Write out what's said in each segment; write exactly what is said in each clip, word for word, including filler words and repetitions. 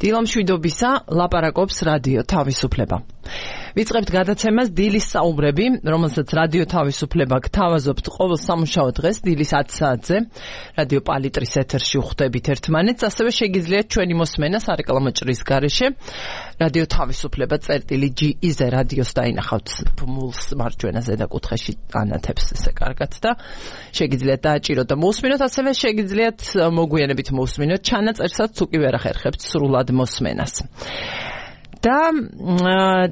დილამშვიდობისა ლაპარაკობს რადიო თავისუფლება. ვიწყებთ გადაცემას დილის საუბრები, რომელსაც რადიო თავისუფლება გთავაზობთ ყოველ სამუშაო დღეს დილის ათი საათზე. რადიო პალიტრის ეთერში ვხვდებით ერთმანეთს, ასევე შეგიძლიათ ჩვენი მოსმენა სარეკლამო ჭრის გარეშე. რადიო თავისუფლება წერტილი ჯი ი-ზე რადიოს დაინახავთ ბმულს მარჯვენა ზედა კუთხეში ანათებს ესე კარგად და შეგიძლიათ დააჭიროთ და მოусმინოთ, ასევე შეგიძლიათ მოგვიანებით მოусმინოთ ჩანაწერსაც თუ კი ვერ ახერხებთ სრულად მოსმენას. და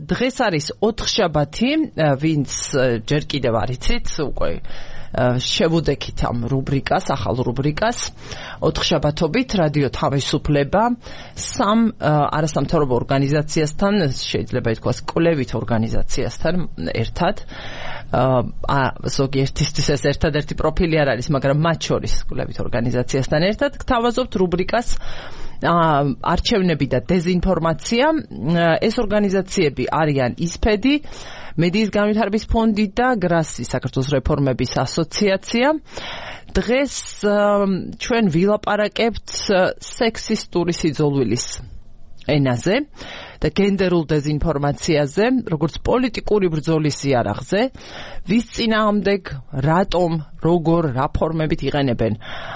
დღეს არის ოთხშაბათი, ვინც ჯერ კიდევ არ იცით, უკვე შევუდექით ამ რუბრიკას, ახალ რუბრიკას. ოთხშაბათობით რადიო თავისუფლება სამ არასამთავრობო ორგანიზაციასთან, შეიძლება ითქვას კვლევით ორგანიზაციასთან ერთად, ზოგიერთისთვის ეს ერთადერთი პროფილი არ არის, მაგრამ მათ შორის კვლევით ორგანიზაციასთან ერთად გთავაზობთ რუბრიკას არჩევნები და დეზინფორმაცია. ეს ორგანიზაციები არიან ისფედი, მედიის განვითარების ფონდი და გრასი, საქართველოს რეფორმების ასოციაცია. დღეს ჩვენ ვილაპარაკებთ სექსისტური სიძულვილის ენაზე და გენდერულ დეზინფორმაციაზე, როგორც პოლიტიკური ბრძოლის იარაღზე, ვის წინააღმდეგ, რატომ, როგორ, რა ფორმებით იყენებენ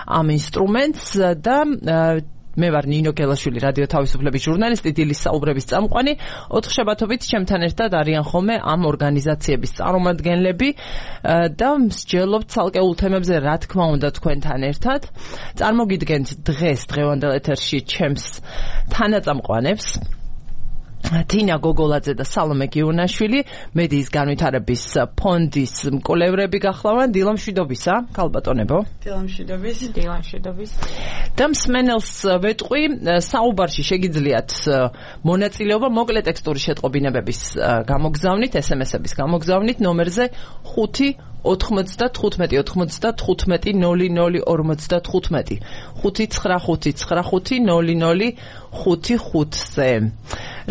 ამ ინსტრუმენტს და მე ვარ ნინო გელაშვილი, რადიო თავისუფლების ჟურნალისტი, დილის საუბრების წამყვანი. ოთხშაბათობით ჩემთან ერთად არიან ხოლმე ამ ორგანიზაციების წარმომადგენლები და მსჯელობთ ცალკეულ თემებზე, რა თქმა უნდა, თქვენთან ერთად. წარმოგიდგენთ დღეს დღევანდელ ეთერში ჩემს თანაწამყვანებს, თინა გოგოლაძე და სალომე გიუნაშვილი, მედიის განვითარების ფონდის მკვლევრები გახლავენ. დილამშვიდობისა, ქალბატონებო. დილამშვიდობის. დილამშვიდობის. და მსმენელს ვეტყვი, საუბარში შეგიძლიათ მონაწილეობა მოკლე ტექსტური შეტყობინებების გამოგზავნით, ეს ემ ესების გამოგზავნით ნომერზე ხუთი ოთხმოცდათხუთმეტი ოცდათხუთმეტი ნული ნული ორმოცდათხუთმეტი ხუთი ცხრა ხუთი ცხრა ხუთი ნული ნული ხუთი ხუთზე.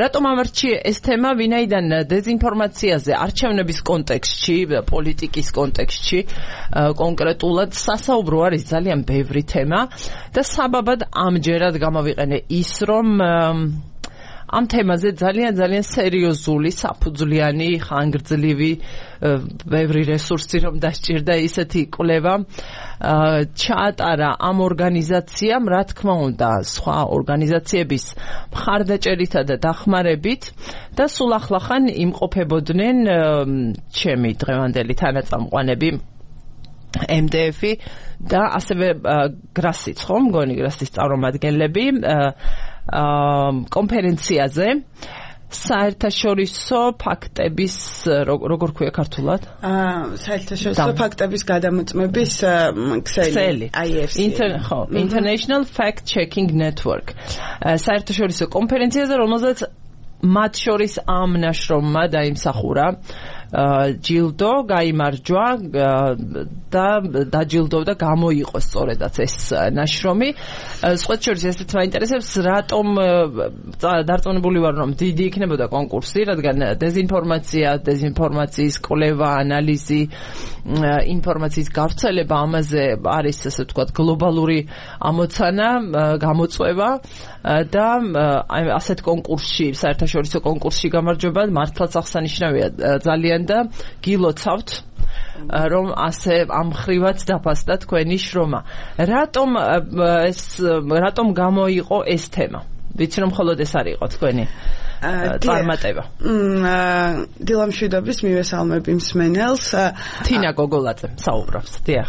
რატომ ამარჩიე ეს თემა? ვინაიდან დეზინფორმაციაზე არჩევნების კონტექსტში, პოლიტიკის კონტექსტში კონკრეტულად სასაუბრო არის ძალიან ბევრი თემა და საბაბად ამჯერად გამოვიყენე ის, რომ ამ თემაზე ძალიან ძალიან სერიოზული, საფუძვლიანი, ხანგრძლივი, ბევრი რესურსი რომ დასჭირდა ისეთი კვლევა ჩაატარა ამ ორგანიზაციამ, რა თქმა უნდა, სხვა ორგანიზაციების მხარდაჭერითა და დახმარებით და სულ ახლახან იმყოფებოდნენ ჩემი დღევანდელი თანაწამყვანები ემ დე ეფი და ასევე გრასიც, ხო, მგონი გრასის წარმომადგენლები კონფერენციაზე საერთაშორისო ფაქტების, როგორ ქვია ქართულად? საერთაშორისო ფაქტების გადამოწმების ქსელი. აი ეს. International Fact Checking Network. საერთაშორისო კონფერენციაზე, რომელზეც მათ შორის ამ ნაშრომმა დაიმსახურა ჯილდო, გაიმარჯვა და დაჯილდოვდა, გამოიყო სწორედაც ეს ნაშრომი. სხვა შორის ესეც მაინტერესებს, რატომ დარწმუნებული ვარ, რომ დიდი იქნებოდა კონკურსი, რადგან დეზინფორმაცია, დეზინფორმაციის კვლევა, ანალიზი, ინფორმაციის გავრცელება, ამაზე არის, ასე ვთქვათ, გლობალური ამოცანა, გამოწვევა და ასეთ კონკურსში, საერთაშორისო კონკურსში გამარჯვება მართლაც აღსანიშნავია ძალიან და გილოცავთ, რომ ასე ამხრივად დაფასდა თქვენი შრომა. რატომ ეს რატომ გამოიყო ეს თემა? ვიცი რომ მხოლოდ ეს არ იყო თქვენი წარმატება. დილამშვიდობის, მივესალმები მსმენელს. თინა გოგოლაძე საუბრობს. დიახ.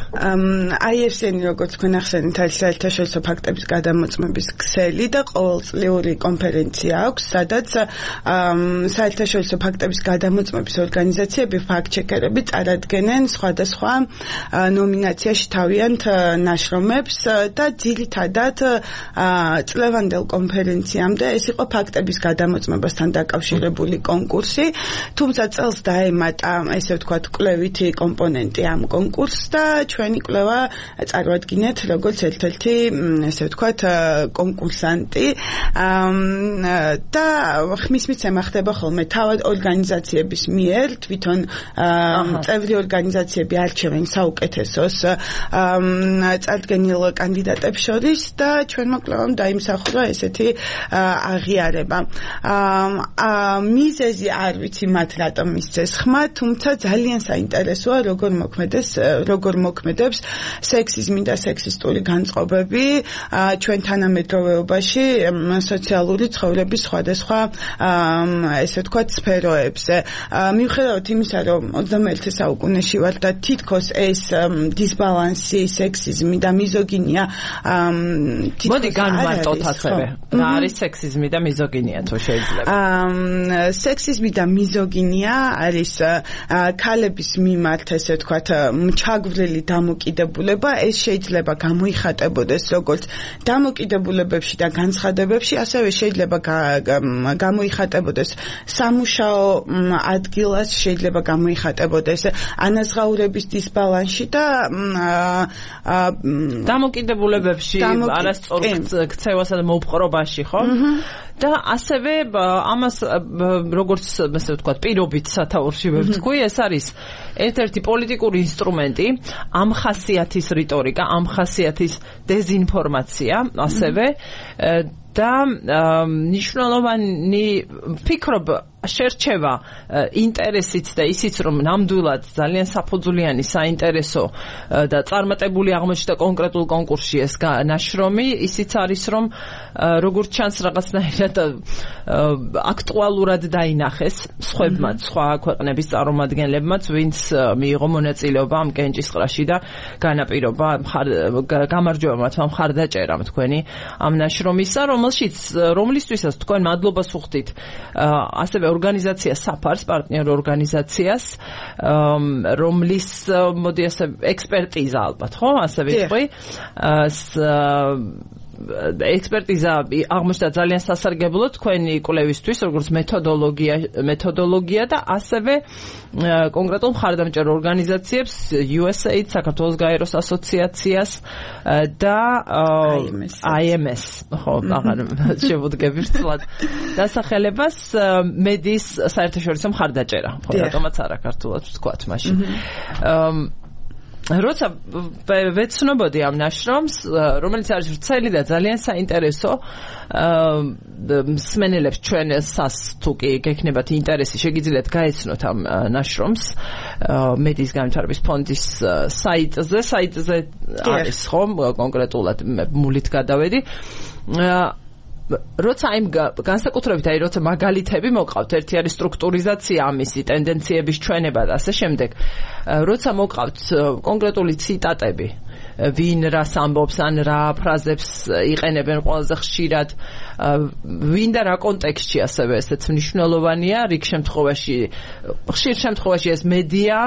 აი ეს ენი, როგორც თქვენ ახსენეთ, არის საერთაშორისო ფაქტების გადამოწმების ქსელი და ყოველწლიური კონფერენცია აქვს, სადაც საერთაშორისო ფაქტების გადამოწმების ორგანიზაციები, ფაქტ-ჩეკერები წარადგენენ სხვადასხვა ნომინაციაში თავიანთ ნაშრომებს და ძირითადად წლევანდელ კონფერენციამდე ეს იყო ფაქტების გადამოწმება ხელოვნებასთან დაკავშირებული კონკურსი, თუმცა წელს დაემატა, ესე ვთქვათ, კვლევითი კომპონენტი ამ კონკურსს და ჩვენი კვლევა წარმოადგინეთ როგორც ერთ-ერთი, ესე ვთქვათ, კონკურსანტი და ხმის მიცემა ხდება ხოლმე თავად ორგანიზაციების მიერ, თვითონ წევრი ორგანიზაციები არჩევენ საუკეთესოს წარდგენილ კანდიდატებს შორის და ჩვენმა კვლევამ დაიმსახურა ესეთი აღიარება. მიზეზი არ ვიცი მათ რატომ მისცეს ხმა, თუმცა ძალიან საინტერესოა როგორ მოქმედეს, როგორ მოქმედებს სექსიზმი და სექსისტური განწყობები ჩვენ თანამედროვეობაში სოციალური ცხოვრების სხვადასხვა ესე ვთქვათ სფეროებზე. მიუხედავად იმისა, რომ ოცდამეერთე საუკუნეში ვართ და თითქოს ეს დისბალანსი, სექსიზმი და მიზოგინია მოდი განვარტოთ ასევე. რა არის სექსიზმი და მიზოგინია თუ შეიძლება? სექსიზმი და მიზოგინია არის ქალების მიმართ, ესე ვთქვათ, მჩაგვრილი დამოკიდებულება. ეს შეიძლება გამოიხატებოდეს როგორც დამოკიდებულებებში და განცხადებებში, ასევე შეიძლება გამოიხატებოდეს სამუშაო ადგილას, შეიძლება გამოიხატებოდეს ანაზღაურების დისბალანსში და დამოკიდებულებებში არასწორ ქცევასა და მოპყრობაში, ხო? და ასევე ამას როგორც ასე ვთქვათ, პირობით სათაურში ვთქვი, ეს არის ერთ-ერთი პოლიტიკური ინსტრუმენტი, ამ ხასიათის რიტორიკა, ამ ხასიათის დეზინფორმაცია, ასევე და მნიშვნელოვანი ვფიქრობ შერჩევა ინტერესიც და ისიც რომ ნამდვილად ძალიან საფუძვლიანი საინტერესო და წარმატებული აღმოჩნდა კონკრეტულ კონკურსში ეს ნაშრომი, ისიც არის რომ როგორც ჩანს რაღაცნაირად აქტუალურად დაინახეს სხვებმაც, სხვა ქვეყნების წარმომადგენლებმაც, ვინც მიიღო მონაწილეობა ამ კენჭისყრაში და განაპირობა გამარჯვება მათმა მხარდაჭერამ თქვენი ამ ნაშრომისა, რომელშიც რომლისთვისაც თქვენ მადლობას უხდით ასევე ორგანიზაცია საფარს, პარტნიორ ორგანიზაციას, რომლის მოდი ასე ექსპერტიზა ალბათ, ხო? ასე ვიტყვი. ექსპერტიზა აღმოჩნდა ძალიან სასარგებლო თქვენი კვლევისთვის, როგორც მეთოდოლოგია, მეთოდოლოგია და ასევე კონკრეტულ მხარდამჭერ ორგანიზაციებს, იუ ეს ეი, საქართველოს გაეროს ასოციაციას და აი ემ ეს, ხო, აღარ შევუდგები რთულად დასახელებას მედიის საერთაშორისო მხარდაჭერა, ხო, რატომაც არა ქართულად ვთქვათ მაშინ. როცა ვეცნობოდი ამ ნაშრომს, რომელიც არის ვრცელი და ძალიან საინტერესო, მსმენელებს ჩვენსას თუ კი გექნებათ ინტერესი, შეგიძლიათ გაეცნოთ ამ ნაშრომს მედიის განვითარების ფონდის საიტზე, საიტზე არის ხომ კონკრეტულად მულით გადავედი. როცა იმ განსაკუთრებით აი როცა მაგალითები მოყავთ, ერთი არის სტრუქტურიზაცია ამისი, ტენდენციების ჩვენება და ასე შემდეგ. როცა მოყავთ კონკრეტული ციტატები, ვინ რას ამბობს, ან რა ფრაზებს იყენებენ ყველაზე ხშირად, ვინ და რა კონტექსტში ასევე ესეც მნიშვნელოვანია, რიგ შემთხვევაში, ხშირ შემთხვევაში ეს მედია,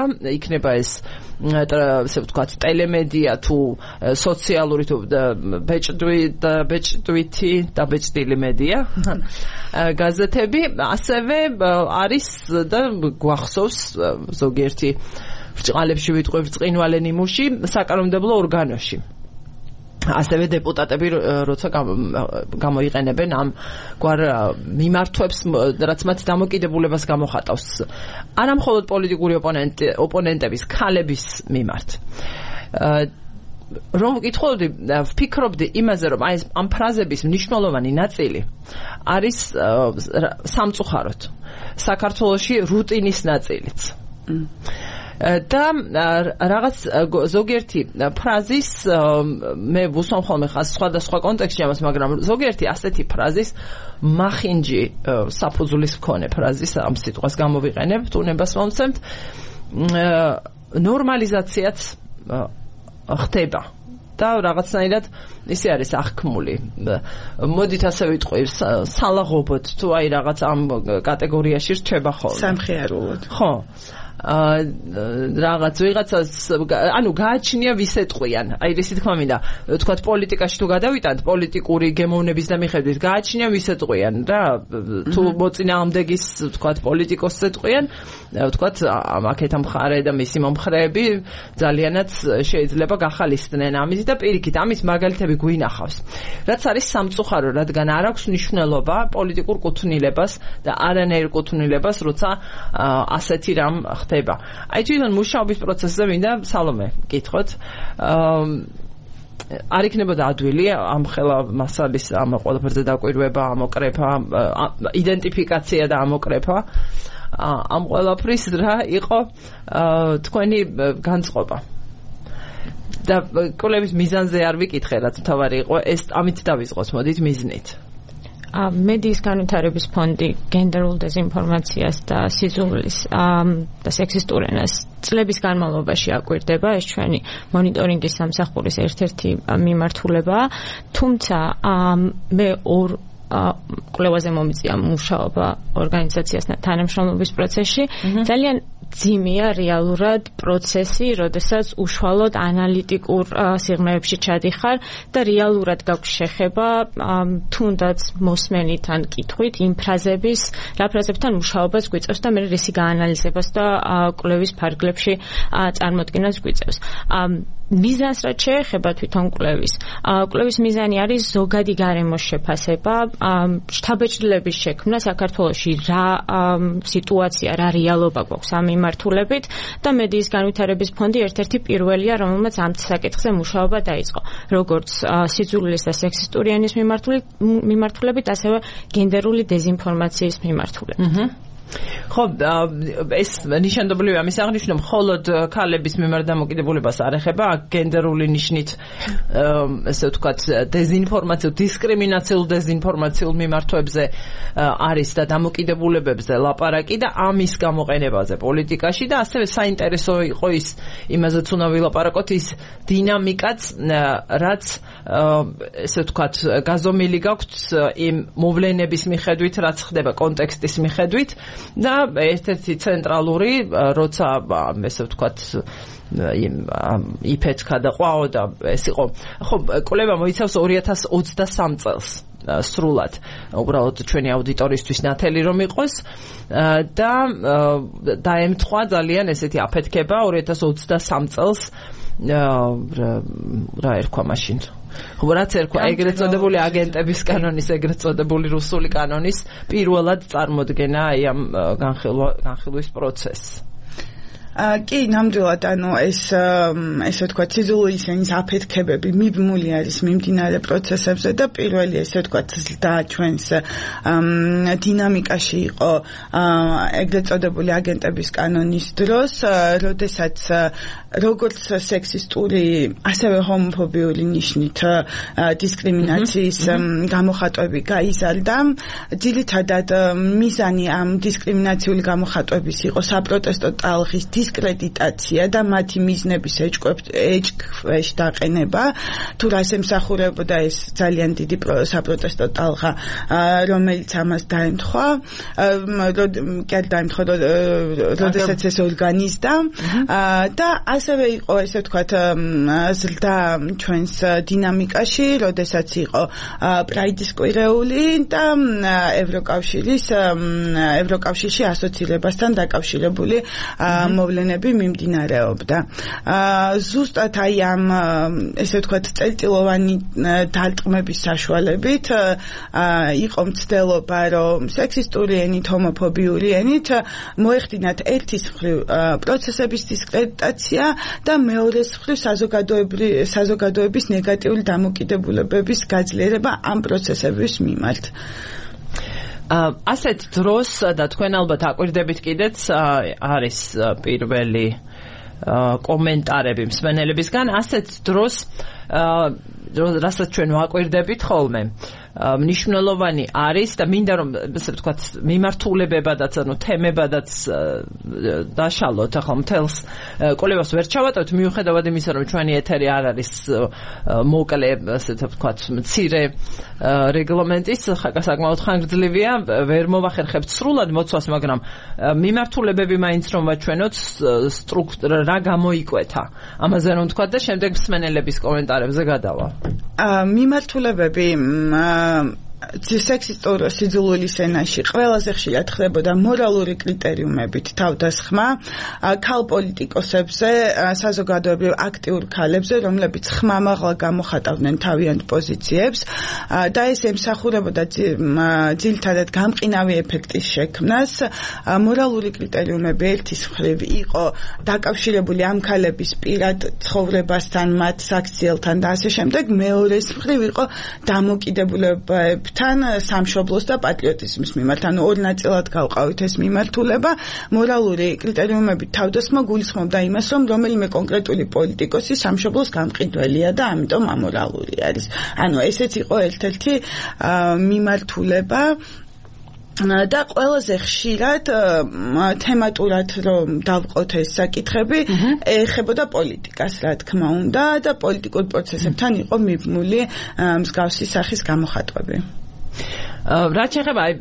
იქნება ეს ასე ვთქვათ, ტელემედია თუ სოციალური თუ ბეჭდვითი და ბეჭდილი მედია, გაზეთები, ასევე არის და გვახსოვს ზოგიერთი ბრჭყალებში ვიტყვი ბრწყინვალე ნიმუში საკანონმდებლო ორგანოში. ასევე დეპუტატები როცა გამოიყენებენ ამ გვარ მიმართვებს, რაც მათ დამოკიდებულებას გამოხატავს. არა მხოლოდ პოლიტიკური ოპონენტების, ქალების მიმართ. რომ ვკითხულობდი, ვფიქრობდი იმაზე, რომ აი ამ ფრაზების მნიშვნელოვანი ნაწილი არის სამწუხაროდ საქართველოში რუტინის ნაწილიც. და რაღაც ზოგიერთი ფრაზის მე ვუსვამ ხოლმე ხას სხვადასხვა კონტექსტში ამას, მაგრამ ზოგიერთი ასეთი ფრაზის მახინჯი საფუძვლის მქონე ფრაზის ამ სიტყვას გამოვიყენებთ, უნებას მომცემთ, ნორმალიზაციაც ხდება და რაღაცნაირად ისე არის აღქმული. მოდით ასე ვიტყვი, სალაღობოდ თუ აი რაღაც ამ კატეგორიაში რჩება ხოლმე. სამხიარულოდ. ხო. რაღაც ვიღაცას ანუ გააჩნია ვის ეტყვიან აი ესე თქმა მინდა თქვათ პოლიტიკაში თუ გადავიტანთ პოლიტიკური გემოვნების და მიხედვით გააჩნია ვის ეტყვიან რა თუ მოწინააღმდეგის თქვათ პოლიტიკოსს ეტყვიან თქვათ აქეთა მხარე და მისი მომხრეები ძალიანაც შეიძლება გახალისდნენ ამით და პირიქით ამის მაგალითები გვინახავს რაც არის სამწუხარო რადგან არ აქვს მნიშვნელობა პოლიტიკურ კუთვნილებას და არანაირ კუთვნილებას როცა ასეთი რამ ხდება აი თვითონ მუშაობის პროცესზე მინდა სალომე გითხოთ არ იქნებოდა ადვილი ამ ხელა მასალის ამ ყველაფერზე დაკვირვება ამოკრეფა იდენტიფიკაცია და ამოკრეფა ამ ყველაფრის რა იყო თქვენი განწყობა და კოლების მიზანზე არ ვიკითხე რაც თავარი იყო ეს ამით დავიწყოთ მოდით მიზნით მედიის განვითარების ფონდი გენდერულ დეზინფორმაციას და სიძულვილის და სექსისტურ ენას წლების განმავლობაში აკვირდება ეს ჩვენი მონიტორინგის სამსახურის ერთ-ერთი მიმართულებაა თუმცა მე ორ კვლევაზე მომიწია მუშაობა ორგანიზაციასთან თანამშრომლობის პროცესში ძალიან ძიმია რეალურად პროცესი, როდესაც უშუალოდ ანალიტიკურ სიღრმეებში ჩადიხარ და რეალურად გაქვს შეხება თუნდაც მოსმენით ან კითხვით იმ ფრაზების, რა ფრაზებთან მუშაობას გვიწევს და მე რისი გაანალიზებას და კვლევის ფარგლებში წარმოდგენას გვიწევს. მიზანს რაც შეეხება თვითონ კვლევის. კვლევის მიზანი არის ზოგადი გარემოს შეფასება, შთაბეჭდილების შექმნა საქართველოში რა სიტუაცია, რა რეალობა გვაქვს ამ მიმართულებით და მედიის განვითარების ფონდი ერთ-ერთი პირველია, რომელმაც ამ საკითხზე მუშაობა დაიწყო. როგორც სიძულვილის და სექსისტური ენის მიმართულებით, ასევე გენდერული დეზინფორმაციის მიმართულებით. ხო ეს ნიშანდობლივია ამის აღნიშვნა მხოლოდ ქალების მიმართ დამოკიდებულებას არ ეხება გენდერული ნიშნით ესე ვთქვათ დეზინფორმაციულ დისკრიმინაციულ დეზინფორმაციულ მიმართვებზე არის და დამოკიდებულებებზე ლაპარაკი და ამის გამოყენებაზე პოლიტიკაში და ასევე საინტერესო იყო ის იმაზეც უნდა ვილაპარაკოთ ის დინამიკაც რაც ესე ვთქვათ გაზომილი გაქვთ იმ მოვლენების მიხედვით რაც ხდება კონტექსტის მიხედვით და ერთ-ერთი ცენტრალური როცა ესე ვთქვათ იფეთქა და ყვაო და ეს იყო ხო კვლევა მოიცავს ორი ათას ოცდასამ წელს სრულად უბრალოდ ჩვენი აუდიტორისთვის ნათელი რომ იყოს და დაემთხვა ძალიან ესეთი აფეთქება ორი ათას ოცდასამ წელს რა ერქვა მაშინ ხო რაც ერქვა ეგრეთ წოდებული აგენტების კანონის ეგრეთ წოდებული რუსული კანონის პირველად წარმოდგენა აი ამ განხილვის პროცესს კი ნამდვილად ანუ ეს ესე ვთქვათ სიძულვილის ენის აფეთქებები მიბმული არის მიმდინარე პროცესებზე და პირველი ესე ვთქვათ და ჩვენს დინამიკაში იყო ეგრეთ წოდებული აგენტების კანონის დროს როდესაც როგორც სექსისტური ასევე ჰომოფობიური ნიშნით დისკრიმინაციის გამოხატვები გაიზარდა ძირითადად მიზანი ამ დისკრიმინაციული გამოხატვების იყო საპროტესტო ტალღის დისკრედიტაცია და მათი მიზნების ეჭქვეშ დაყენება თუ რას ემსახურებოდა ეს ძალიან დიდი საპროტესტო ტალღა რომელიც ამას დაემთხვა კი არ დაემთხვა როდესაც ეს ორგანიზდა და ასევე იყო ესე ვთქვათ ზრდა ჩვენს დინამიკაში როდესაც იყო პრაიდის კვირეული და ევროკავშირის ევროკავშირში ასოცირებასთან დაკავშირებული მოვლენები მიმდინარეობდა. ზუსტად აი ამ ესე ვთქვათ წელწილოვანი დარტყმების საშუალებით იყო მცდელობა რომ სექსისტური ენით, ჰომოფობიური ენით მოეხდინათ ერთის მხრივ პროცესების დისკრედიტაცია და მეორეს მხრივ საზოგადოების ნეგატიური დამოკიდებულებების გაძლიერება ამ პროცესების მიმართ. ასეთ დროს და თქვენ ალბათ აკვირდებით კიდეც არის პირველი კომენტარები მსმენელებისგან ასეთ დროს რასაც ჩვენ ვაკვირდებით ხოლმე მნიშვნელოვანი არის და მინდა რომ ესე ვთქვათ მიმართულებებადაც ანუ თემებადაც დაშალოთ ახლა მთელს კოლევას ვერ ჩავატევთ მიუხედავად იმისა რომ ჩვენი ეთერი არ არის მოკლე ესე ვთქვათ მცირე რეგლამენტის საკმაოდ ხანგრძლივია ვერ მოვახერხებთ სრულად მოცვას მაგრამ მიმართულებები მაინც რომ ვაჩვენოთ სტრუქტურა რა გამოიკვეთა ამაზე რომ ვთქვათ და შემდეგ მსმენელების კომენტარებზე გადავალ მიმართულებები სექსისტურ სიძულვილის ენაში ყველაზე ხშირად ხდებოდა მორალური კრიტერიუმებით თავდასხმა ქალ პოლიტიკოსებზე, საზოგადოებრივ აქტიურ ქალებზე, რომლებიც ხმამაღლა გამოხატავდნენ თავიანთ პოზიციებს და ეს ემსახურებოდა ძირითადად გამყინავი ეფექტის შექმნას. მორალური კრიტერიუმები ერთის მხრივ იყო დაკავშირებული ამ ქალების პირად ცხოვრებასთან, მათ საქციელთან და ასე შემდეგ, მეორეს მხრივ იყო დამოკიდებულებები თან სამშობლოს და პატრიოტიზმის მიმართ, ანუ ორ ნაწილად გავყავით ეს მიმართულება. მორალური კრიტერიუმებით თავდასხმა გულისხმობდა იმას, რომ რომელიმე კონკრეტული პოლიტიკოსი სამშობლოს გამყიდველია და ამიტომ ამორალური არის. ანუ ესეც იყო ერთ-ერთი მიმართულება და ყველაზე ხშირად თემატურად რომ დავყოთ ეს საკითხები ეხებოდა პოლიტიკას, რა თქმა უნდა, და პოლიტიკურ პროცესებთან იყო მიბმული მსგავსი სახის გამოხატვები. რაც შეეხება აი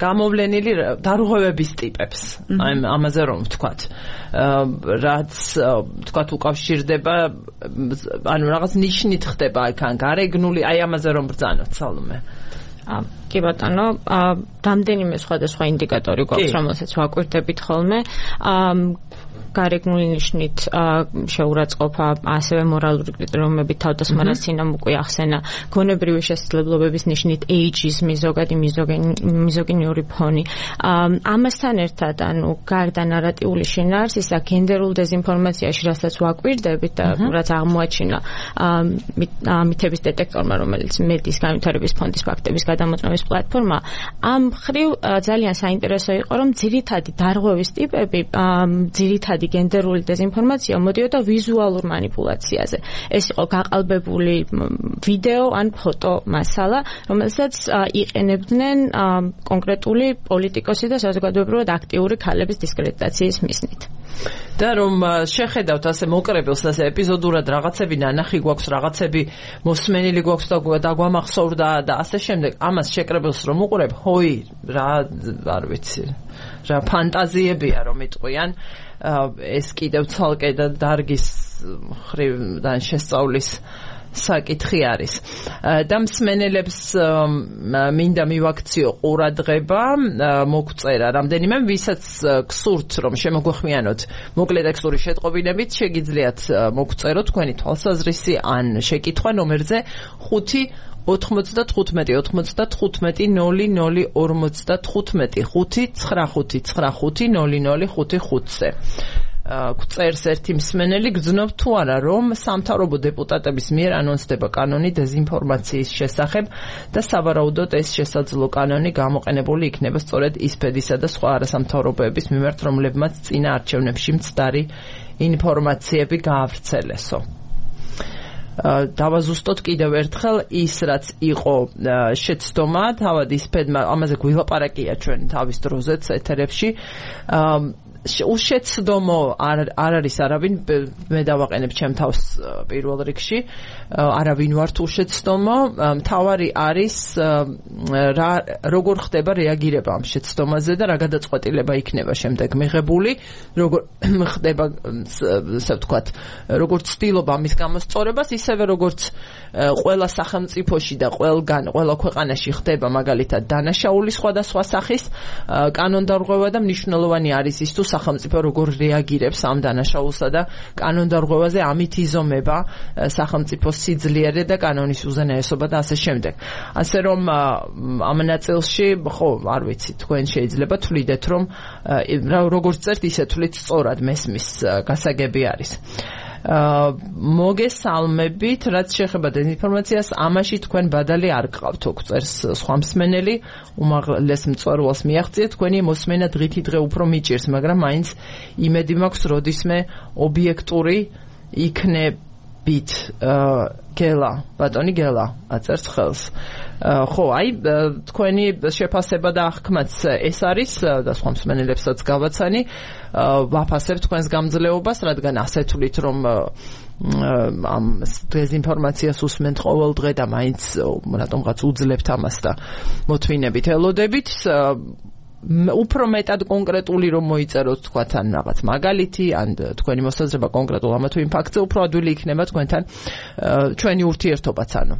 გამოვლენილი დარღვევების ტიპებს, აი ამაზე რომ ვთქვათ, რაც ვთქვათ უკავშირდება, ანუ რაღაც ნიშნით ხდება იქან გარეგნული, აი ამაზე რომ ბრძანოთ, სალომე. კი ბატონო, რამდენიმე სხვადასხვა ინდიკატორი გვაქვს, რომელსაც ვაკვირდებით ხოლმე. გარეგნული ნიშნით შეურაცხყოფა, ასევე მორალური კრიტერიუმებით თავდასხმა, რაც წინამ უკვე ახსენა, გონებრივი შესაძლებლობების ნიშნით ეიჯიზმი, ზოგადი მიზოგინიური ფონი. ამასთან ერთად, ანუ გარდა ნარატიული შინაარსისა, გენდერულ დეზინფორმაციაში, რასაც ვაკვირდებით და რაც აღმოაჩინა მითების დეტექტორმა, რომელიც მედიის განვითარების ფონდის ფაქტების გადამოწმების პლატფორმა, ამ მხრივ ძალიან საინტერესო იყო, რომ ძირითადი დარღვევის ტიპები, ძირითადი გენდერული დეზინფორმაცია მოდიოდა ვიზუალურ მანიპულაციაზე. ეს იყო გაყალბებული ვიდეო ან ფოტო მასალა, რომელსაც იყენებდნენ კონკრეტული პოლიტიკოსი და საზოგადოებრივად აქტიური ქალების დისკრედიტაციის მიზნით. და რომ შეხედავთ ასე მოკრებელს, ასე ეპიზოდურად რაღაცები ნანახი გვაქვს, რაღაცები მოსმენილი გვაქვს და დაგვამახსოვრდა და ასე შემდეგ, ამას შეკრებელს რომ უყურებ, ჰოი, რა არ ვიცი, რა ფანტაზიებია რომ იტყვიან, ეს კიდევ ცალკე და დარგის ხრივიდან შესწავლის საკითხი არის. და მსმენელებს მინდა მივაქციო ყურადღება, მოგწერა რამდენიმე, ვისაც გსურთ რომ შემოგვეხმიანოთ მოკლე ტექსტური შეტყობინებით, შეგიძლიათ მოგწეროთ თქვენი თვალსაზრისი ან შეკითხვა ნომერზე ხუთი ოთხმოცდათხუთმეტი ოცდათხუთმეტი ნული ნული ორმოცდათხუთმეტი ხუთი ცხრა ხუთი ცხრა ხუთი ნული ნული ხუთი ხუთზე. წერს ერთი მსმენელი, გძნობ თუ არა რომ სამთავრობო დეპუტატების მიერ ანონსდება კანონი დეზინფორმაციის შესახებ და სავარაუდოდ ეს შესაძლო კანონი გამოყენებული იქნება სწორედ ისფედისა და სხვა არასამთავრობოების მიმართ, რომლებმაც წინა არჩევნებში მცდარი ინფორმაციები გაავრცელესო. დავაზუსტოთ კიდევ ერთხელ ის რაც იყო შეცდომა, თავად ისფედმა ამაზე გვილაპარაკია ჩვენ თავის დროზეც ეთერებში. უშეცდომო არ არის არავინ, მე დავაყენებ ჩემ თავს პირველ რიგში, არავინ ვართ უშეცდომო, მთავარი არის რა როგორ ხდება რეაგირება ამ შეცდომაზე და რა გადაწყვეტილება იქნება შემდეგ მიღებული, როგორ ხდება, ასე ვთქვათ, როგორც ცდილობა ამის გამოსწორებას, ისევე როგორც ყველა სახელმწიფოში და ყველგან, ყველა ქვეყანაში ხდება მაგალითად დანაშაული სხვადასხვა სახის კანონდარღვევა და მნიშვნელოვანი არის ის თუ სახელმწიფო როგორ რეაგირებს ამ დანაშაულსა და კანონდარღვევაზე ამით იზომება სახელმწიფოს სიძლიერე და კანონის უზენაესობა და ასე შემდეგ. ასე რომ ამ ნაწილში, ხო, არ ვიცი, თქვენ შეიძლება თვლიდეთ, რომ როგორც წერთ, ისე თვლით სწორად მესმის გასაგები არის. მოგესალმებით, რაც შეეხება დეზინფორმაციას, ამაში თქვენ ბადალი არ გყავთ, წერს სხვა მსმენელი, უმაღლეს მწვერვალს მიაღწიეთ, თქვენი მოსმენა დღითი დღე უფრო მიჭირს, მაგრამ მაინც იმედი მაქვს, როდისმე ობიექტური იქნება ბით გელა ბატონი გელა აწერს ხელს ხო აი თქვენი შეფასება და აღქმაც ეს არის და სხვა მსმენელებსაც გავაცანი ვაფასებ თქვენს გამძლეობას რადგან ასე თulit რომ ამ დეზინფორმაციას უსმენთ ყოველ დღე და მაინც რატომღაც უძლებთ ამას და მოთმინებით ელოდებით უფრო მეტად კონკრეტული რომ მოიწეროთ თქვათ ან რაღაც მაგალითი ან თქვენი მოსაზრება კონკრეტულ ამა თუ იმ ფაქტზე უფრო ადვილი იქნება თქვენთან ჩვენი ურთიერთობაც ანუ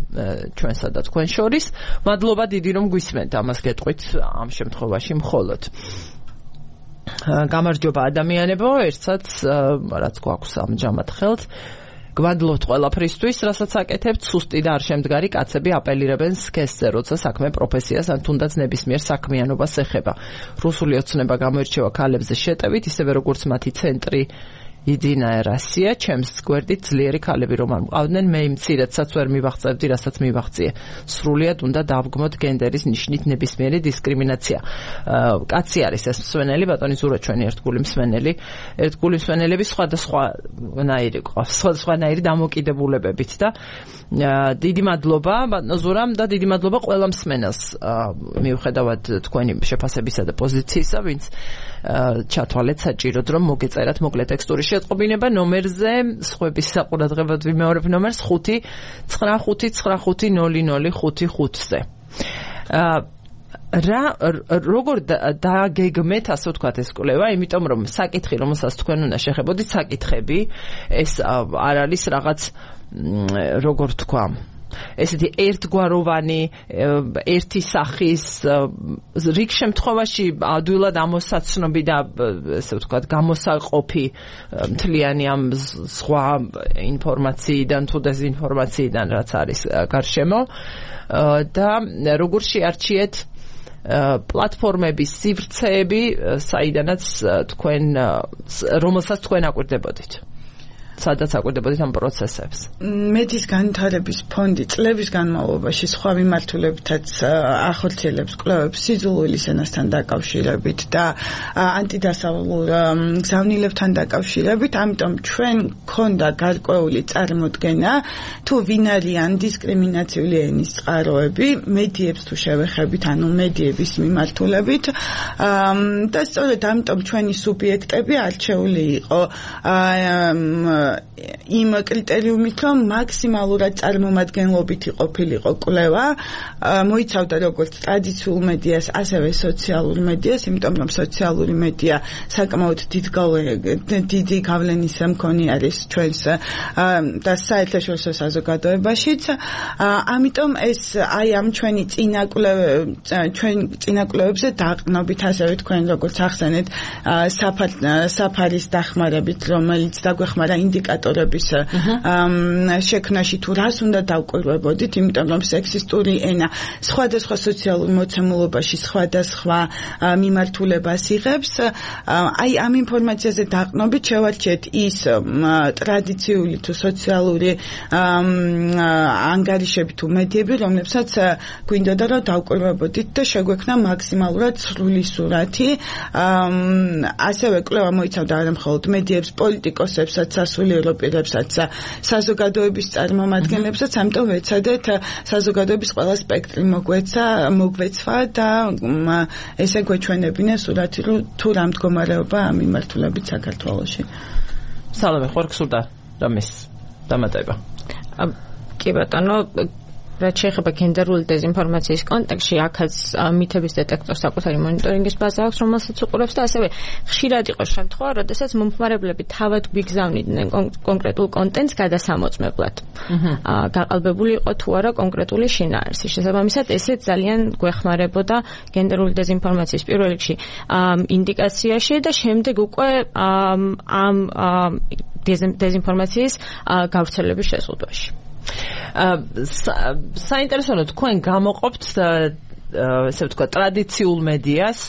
ჩვენსა და თქვენ შორის მადლობა დიდი რომ გვისმენთ ამას გეტყვით ამ შემთხვევაში მხოლოდ გამარჯობა ადამიანებო ერთსაც რაც გვაქვს ამჯამად ხელთ გვადლობთ ყველაფრისთვის, რასაც აკეთებთ, სუსტი და არ შემდგარი კაცები აპელირებენ სქესზე, როცა საქმე პროფესიას ან თუნდაც ნებისმიერ საქმიანობას ეხება. რუსული ოცნება გამოირჩევა ქალებზე შეტევით, ისევე როგორც მათი ცენტრი იძინა რასია, ჩემს გვერდით ძლიერი ქალები რომ არ მყავდნენ, მე იმ მცირედსაც ვერ მივაღწევდი, რასაც მივაღწიე. სრულიად უნდა დავგმოთ გენდერის ნიშნით ნებისმიერი დისკრიმინაცია. კაცი არის ეს მსმენელი, ბატონი ზურა ჩვენი ერთგული მსმენელი, ერთგული მსმენელები სხვადასხვანაირი ყავს, სხვადასხვანაირი დამოკიდებულებებით და დიდი მადლობა ბატონო ზურამ და დიდი მადლობა ყველა მსმენელს მიუხედავად თქვენი შეფასებისა და პოზიციისა, ვინც ჩათვალეთ საჭიროდ რომ მოგეწერათ მოკლე ტექსტური შეტყობინება ნომერზე, სხვების საყურადღებოდ ვიმეორებ ნომერს ხუთი ცხრა ხუთი ცხრა ხუთი ნული ნული ხუთი ხუთზე. რა როგორ დააგეგმეთ ასე ვთქვათ ეს კვლევა, იმიტომ რომ საკითხი რომელსაც თქვენ უნდა შეხებოდით საკითხები ეს არ არის რაღაც როგორ თქვა ესეთი ერთგვაროვანი ერთი სახის რიგ შემთხვევაში ადვილად ამოსაცნობი და ესე ვთქვათ გამოსაყოფი მთლიანი ამ სხვა ინფორმაციიდან თუ დეზინფორმაციიდან რაც არის გარშემო და როგორ შეარჩიეთ პლატფორმების სივრცეები საიდანაც თქვენ რომელსაც თქვენ აკვირდებოდით სადაც აკვირდებოდით ამ პროცესებს. მედიის განვითარების ფონდი წლების განმავლობაში სხვა მიმართულებითაც ახორციელებს კვლევებს სიძულვილის ენასთან დაკავშირებით და ანტიდასავლურ გზავნილებთან დაკავშირებით, ამიტომ ჩვენ გქონდა გარკვეული წარმოდგენა თუ ვინ არიან დისკრიმინაციული ენის წყაროები, მედიებს თუ შევეხებით, ანუ მედიების მიმართულებით და სწორედ ამიტომ ჩვენი სუბიექტები არჩეული იყო იმ კრიტერიუმით, რომ მაქსიმალურად წარმომადგენლობითი ყოფილიყო კვლევა, მოიცავდა როგორც ტრადიციულ მედიას, ასევე სოციალურ მედიას, იმიტომ რომ სოციალური მედია საკმაოდ დიდი გავლენის მქონე არის ჩვენს და საერთაშორისო საზოგადოებაშიც. ამიტომ ეს აი ამ ჩვენი წინა კვლევები, ჩვენ წინა კვლევებზე დაყრდნობით, ასევე თქვენ როგორც ახსენეთ, საფარის დახმარებით, რომელიც დაგვეხმარა ინდიკატორების შექმნაში თუ რას უნდა დავკვირვებოდით, იმიტომ რომ სექსისტური ენა სხვადასხვა სოციალურ მოცემულობაში სხვადასხვა მიმართულებას იღებს. აი ამ ინფორმაციაზე დაყრდნობით შევარჩიეთ ის ტრადიციული თუ სოციალური ანგარიშები თუ მედიები, რომლებსაც გვინდოდა რომ დავკვირვებოდით და შეგვექმნა მაქსიმალურად სრული სურათი. ასევე კვლევა მოიცავდა არა მხოლოდ მედიებს, პოლიტიკოსებსაც, სასულიერო პირებსაც, საზოგადოების წარმომადგენლებსაც, ამიტომ ვეცადეთ საზოგადოების ყველა სპექტრი მოგვეცა, მოგვეცვა და ესე გვეჩვენებინა სურათი, რომ თუ რა მდგომარეობა ამ მიმართულებით საქართველოში. სალამე, ხარ გსურდა რამის დამატება. კი ბატონო, რაც შეეხება გენდერული დეზინფორმაციის კონტექსტში, აქაც მითების დეტექტორს საკუთარი მონიტორინგის ბაზა აქვს, რომელსაც უყურებს და ასევე ხშირად იყო შემთხვევა, როდესაც მომხმარებლები თავად გვიგზავნიდნენ კონკრეტულ კონტენტს გადასამოწმებლად. გაყალბებული იყო თუ არა კონკრეტული შინაარსი. შესაბამისად, ესე ძალიან გვეხმარებოდა გენდერული დეზინფორმაციის პირველ რიგში ინდიკაციაში და შემდეგ უკვე ამ დეზინფორმაციის გავრცელების შეზღუდვაში. საინტერესოა თქვენ გამოყოფთ ესე ვთქვათ ტრადიციულ მედიას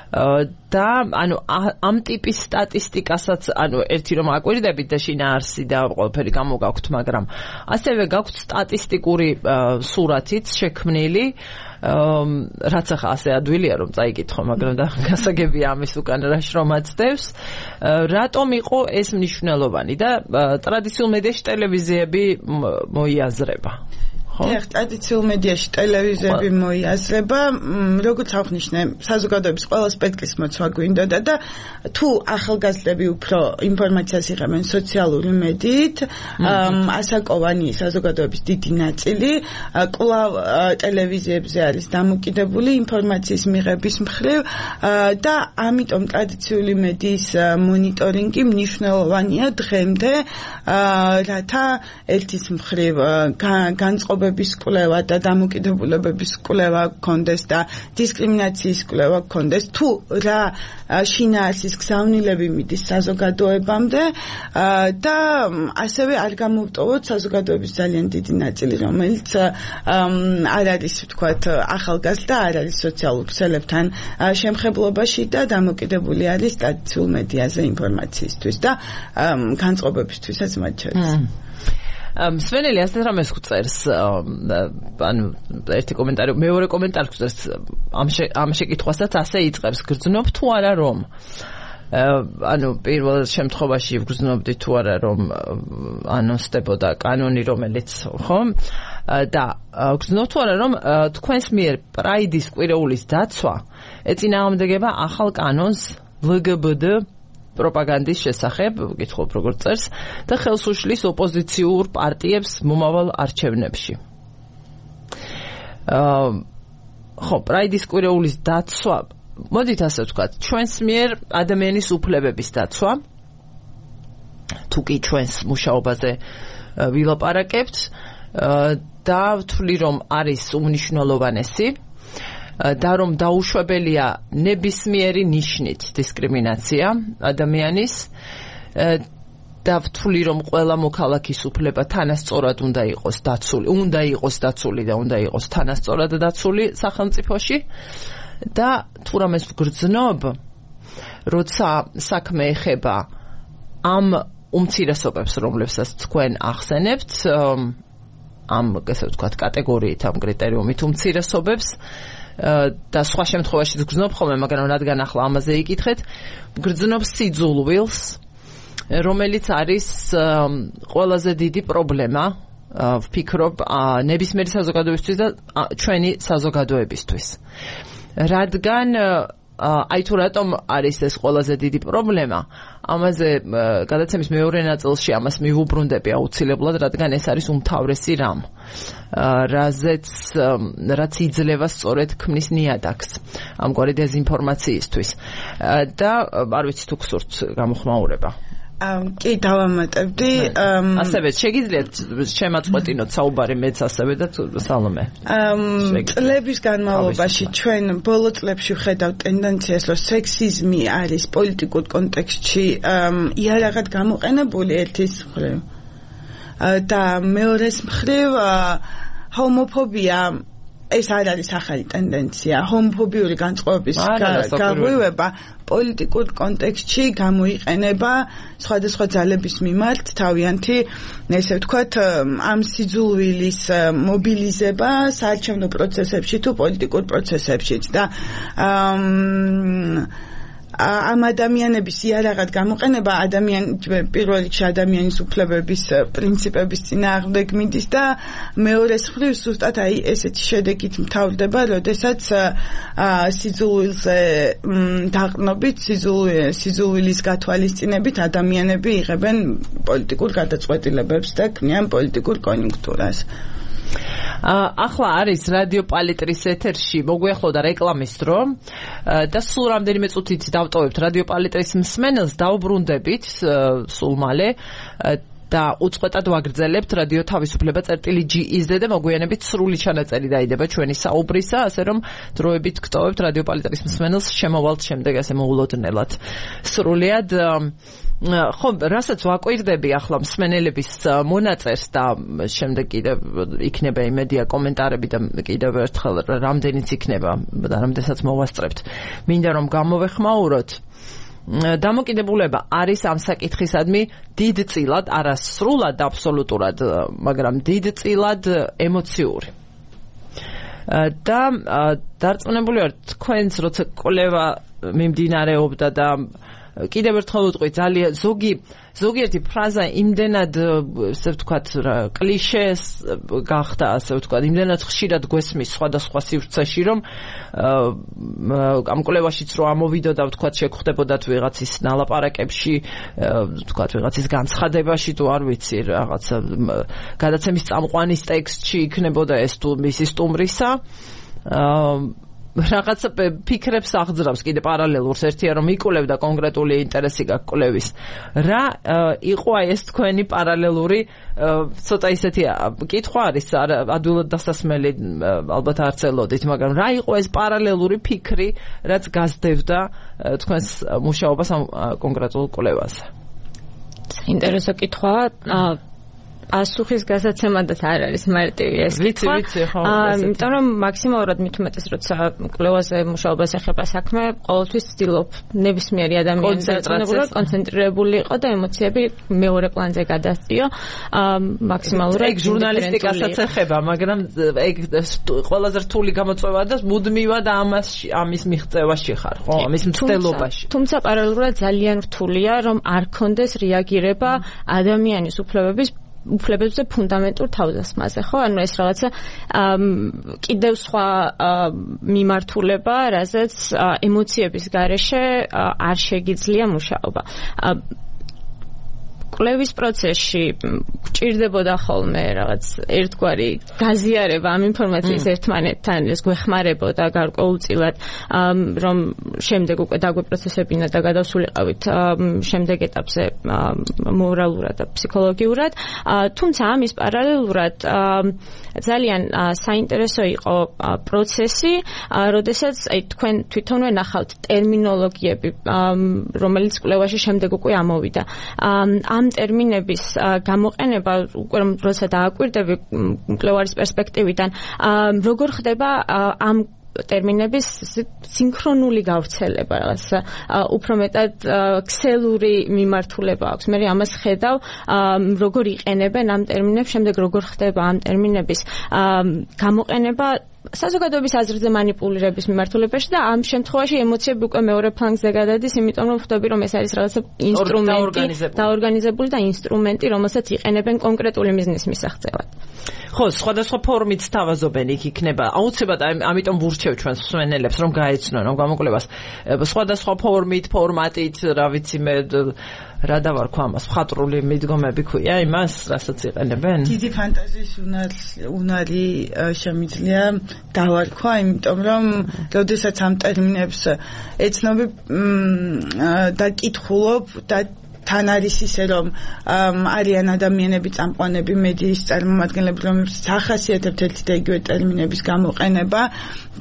და ანუ ამ ტიპის სტატისტიკასაც ანუ ერთი რომ აკვირდებით და შინაარსი და ყველაფერი გამოგაქვთ, მაგრამ ასევე გაქვთ სტატისტიკური სურათიც შექმნილი, რაც ახლა ასე ადვილია რომ წაიკითხო, მაგრამ და გასაგებია ამის უკან რა შრომაც დევს. რატომ იყო ეს მნიშვნელოვანი და ტრადიციულ მედიაში ტელევიზიები მოიაზრება? ეხ ტრადიციულ მედიაში ტელევიზიები მოიაზრება, როგორც აღნიშნე, საზოგადოების ყველა სპექტრის მოცვა გვინდოდა და თუ ახალგაზრდები უფრო ინფორმაციას იღებენ სოციალური მედიით, ასაკოვანი საზოგადოების დიდი ნაწილი კვლავ ტელევიზიებზე არის დამოკიდებული ინფორმაციის მიღების მხრივ და ამიტომ ტრადიციული მედიის მონიტორინგი მნიშვნელოვანია დღემდე, რათა ერთის მხრივ განწყობა კვლევა და დამოკიდებულებების კვლევა გქონდეს და დისკრიმინაციის კვლევა გქონდეს, თუ რა შინაარსის გზავნილები მიდის საზოგადოებამდე და ასევე არ გამოვტოვოთ საზოგადოების ძალიან დიდი ნაწილი, რომელიც არ არის ვთქვათ ახალგაზრდა, არ არის სოციალურ ქსელებთან შემხებლობაში და დამოკიდებული არის ტრადიციულ მედიაზე ინფორმაციისთვის და განწყობებისთვისაც მათ შორის. სვენელი ასეთ რამეს გვწერს, ანუ ერთი კომენტარი, მეორე კომენტარი გვწერს ამ შეკითხვასაც ასე იწყებს, გრძნობ თუ არა რომ ანუ პირველ შემთხვევაში ვგრძნობდი თუ არა რომ ანონსდებოდა კანონი რომელიც ხო და გრძნობ თუ არა რომ თქვენს მიერ პრაიდის კვირეულის დაცვა ეწინააღმდეგება ახალ კანონს ლ გ ბ დ პროპაგანდის შესახებ, გითხობ როგორ წერს და ხელს უშლის ოპოზიციურ პარტიებს მომავალ არჩევნებში. აა ხო, პრაიდის კვირეულის დაცვა, მოდით ასე ვთქვათ, ჩვენს მიერ ადამიანის უფლებების დაცვა, თუ კი ჩვენს მუშაობაზე ვილაპარაკებთ და ვთვლი რომ არის უმნიშვნელოვანესი და რომ დაუშვებელია ნებისმიერი ნიშნით დისკრიმინაცია ადამიანის და ვთვლი რომ ყველა მოქალაქის უფლება თანასწორად უნდა იყოს დაცული, უნდა იყოს დაცული და უნდა იყოს თანასწორად დაცული სახელმწიფოში და თუ რამეს ვგრძნობ, როცა საქმე ეხება ამ უმცირესობებს, რომლებსაც თქვენ ახსენებთ, ამ ესე ვთქვათ კატეგორიით, ამ კრიტერიუმით უმცირესობებს და სხვა შემთხვევაში გრძნობ ხოლმე, მაგრამ რადგან ახლა ამაზე იკითხეთ, გრძნობ სიძულვილს, რომელიც არის ყველაზე დიდი პრობლემა, ვფიქრობ, ნებისმიერი საზოგადოებისთვის და ჩვენი საზოგადოებისთვის. რადგან აი თუ რატომ არის ეს ყველაზე დიდი პრობლემა, ამაზე გადაცემის მეორე ნაწილში ამას მივუბრუნდები აუცილებლად, რადგან ეს არის უმთავრესი რამ, რაზეც რაც იძლევა სწორედ ქმნის ნიადაგს ამგვარი დეზინფორმაციისთვის და არ ვიცი თუ გსურთ გამოხმაურება. კი დავამატებდი. ასევე შეგიძლიათ შემაწყვეტინოთ საუბარი მეც ასევე და სალომე. წლების განმავლობაში ჩვენ ბოლო წლებში ვხედავთ ტენდენციას, რომ სექსიზმი არის პოლიტიკურ კონტექსტში იარაღად გამოყენებული ერთის მხრივ და მეორეს მხრივ ჰომოფობია ეს არ არის ახალი ტენდენცია, ჰომოფობიური განწყობების გაღვივება პოლიტიკურ კონტექსტში გამოიყენება სხვადასხვა ძალების მიმართ თავიანთი, ესე ვთქვათ, ამ სიძულვილის მობილიზება საარჩევნო პროცესებში თუ პოლიტიკურ პროცესებშიც და ამ ადამიანების იარაღად გამოყენება ადამიან პირველ რიგში ადამიანის უფლებების პრინციპების წინააღმდეგ მიდის და მეორეს მხრივ ზუსტად აი ესეთი შედეგით მთავრდება, როდესაც სიძულვილზე დაყრდნობით, სიძულვილის გათვალისწინებით ადამიანები იღებენ პოლიტიკურ გადაწყვეტილებებს და ქმნიან პოლიტიკურ კონიუნქტურას. ახლა არის რადიო პალიტრის ეთერში მოგვიახლოვდა რეკლამის დრო და სულ რამდენიმე წუთით დავტოვებთ რადიო პალიტრის მსმენელს, დავბრუნდებით სულ მალე და უწყვეტად ვაგრძელებთ რადიო თავისუფლება წერტილი ჯი იზ დე და მოგვიანებით სრული ჩანაწერი დაიდება ჩვენი საუბრისა, ასე რომ დროებით გტოვებთ რადიო პალიტრის მსმენელს შემოვალთ შემდეგ ასე მოულოდნელად. სრულიად ხო, რასაც ვაკვირდები ახლა მსმენელების მონაწერს და შემდეგ კიდევ იქნება იმედია კომენტარები და კიდევ ერთხელ რამდენიც იქნება და რამდენსაც მოვასწრებთ. მინდა რომ გამოვეხმაუროთ. დამოკიდებულება არის ამ საკითხისადმი დიდწილად, არა სრულად აბსოლუტურად, მაგრამ დიდწილად ემოციური. და დარწმუნებული ვარ თქვენს როცა კვლევა მიმდინარეობდა და კიდევ ერთხელ ვიტყვი ძალიან ზოგი ზოგიერთი ფრაზა იმდენად ასე ვთქვათ კლიშეს გახდა ასე ვთქვათ იმდენად ხშირად გვესმის სხვადასხვა სივრცეში რომ ამ კვლევაშიც რო ამოვიდოდა ვთქვათ შეგხვდებოდათ ვიღაცის ნალაპარაკებში ვთქვათ ვიღაცის განცხადებაში თუ არ ვიცი რაღაცა გადაცემის წამყვანის ტექსტში იქნებოდა ეს თუ მისი სტუმრისა რაღაცა ფიქრებს აღძრავს კიდე პარალელურს ერთია რომ იკვლევდა კონკრეტული ინტერესი გაქვს კვლევის რა იყო ეს თქვენი პარალელური ცოტა ისეთი კითხვა არის ადვილად დასასმელი ალბათ არ ცელოდით მაგრამ რა იყო ეს პარალელური ფიქრი რაც გასდევდა თქვენს მუშაობას ამ კონკრეტულ კვლევაზე ინტერესო კითხვაა ასუხის გასაცემადაც არ არის მარტივი ეს კითხვა. იმიტომ რომ მაქსიმალურად მით უმეტეს როცა კვლევაზე მუშაობას ეხება საქმე, ყოველთვის ვცდილობ ნებისმიერი ადამიანის დაწესებულად კონცენტრირებული იყო და ემოციები მეორე პლანზე გადასწიო. მაქსიმალურად ეგ ჟურნალისტიკასაც ეხება, მაგრამ ეგ ყველაზე რთული გამოწვევა და მუდმივად ამას ამის მიღწევაში ხარ, ხო? ამის მცდელობაში. თუმცა პარალელურად ძალიან რთულია რომ არ ქონდეს რეაგირება ადამიანის უფლებების უფლებებზე ფუნდამენტურ თავდასხმაზე, ხო? ანუ ეს რაღაცა კიდევ სხვა მიმართულება, რაზეც ემოციების გარეშე არ შეგიძლია მუშაობა. კვლევის პროცესში გჭირდებოდა ხოლმე რაღაც ერთგვარი გაზიარება ამ ინფორმაციის ერთმანეთთან, ეს გვეხმარებოდა გარკვეულწილად, რომ შემდეგ უკვე დაგვეპროცესებინა და გადავსულიყავით შემდეგ ეტაპზე მორალურად და ფსიქოლოგიურად. თუმცა ამის პარალელურად ძალიან საინტერესო იყო პროცესი, როდესაც აი თქვენ თვითონვე ნახავთ ტერმინოლოგიები, რომელიც კვლევაში შემდეგ უკვე ამოვიდა. ამ ტერმინების გამოყენება უკვე როცა დააკვირდები კვლევარის პერსპექტივიდან როგორ ხდება ამ ტერმინების სინქრონული გავრცელება რაღაც უფრო მეტად ქსელური მიმართულება აქვს მე ამას ხედავ როგორ იყენებენ ამ ტერმინებს შემდეგ როგორ ხდება ამ ტერმინების გამოყენება საზოგადოების აზრზე манипуლირების მიმართულებაში და ამ შემთხვევაში ემოციები უკვე მეორე ფლანგზე გადადის, იმიტომ რომ ხვდები რომ ეს არის რაღაცა ინსტრუმენტი, დაორგანიზებული და ინსტრუმენტი, რომელსაც იყენებენ კონკრეტული მიზნის მისაღწევად. ხო, სხვადასხვა ფორმით თავაზობენ იქ იქნება. აუცილებლად ამიტომ ვურჩევ ჩვენს მსმენელებს რომ გაეცნონ ამ გამოკვლევას. სხვადასხვა ფორმით, ფორმატით, რა ვიცი მე რა დავარქვა ამას, მხატვრული მიდგომები ქვია იმას, რასაც იყენებენ? დიდი ფანტაზიის უნარი შემიძლია დავარქვა, იმიტომ რომ როდესაც ამ ტერმინებს ეცნობი და კითხულობ და თან არის ისე რომ არიან ადამიანები წამყვანები მედიის წარმომადგენლები რომლებსაც ახასიათებთ ერთი და იგივე ტერმინების გამოყენება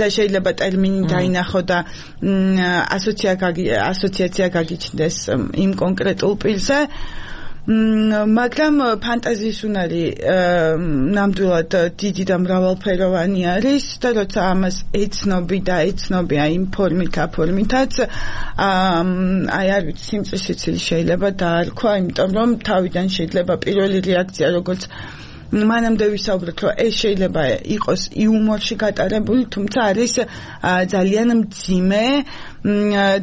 და შეიძლება ტერმინი დაინახო და ასოციაცია გაგიჩნდეს იმ კონკრეტულ პირზე მაგრამ ფანტაზიის უნარი ნამდვილად დიდი და მრავალფეროვანი არის და როცა ამას ეცნობი და ეცნობი აი იმ ფორმით აფორმითაც აი არ ვიცი სიმწისიც შეიძლება დაარქვა იმიტომ რომ თავიდან შეიძლება პირველი რეაქცია როგორც მანამდე ვისაუბრეთ რომ ეს შეიძლება იყოს იუმორში გატარებული თუმცა არის ძალიან მძიმე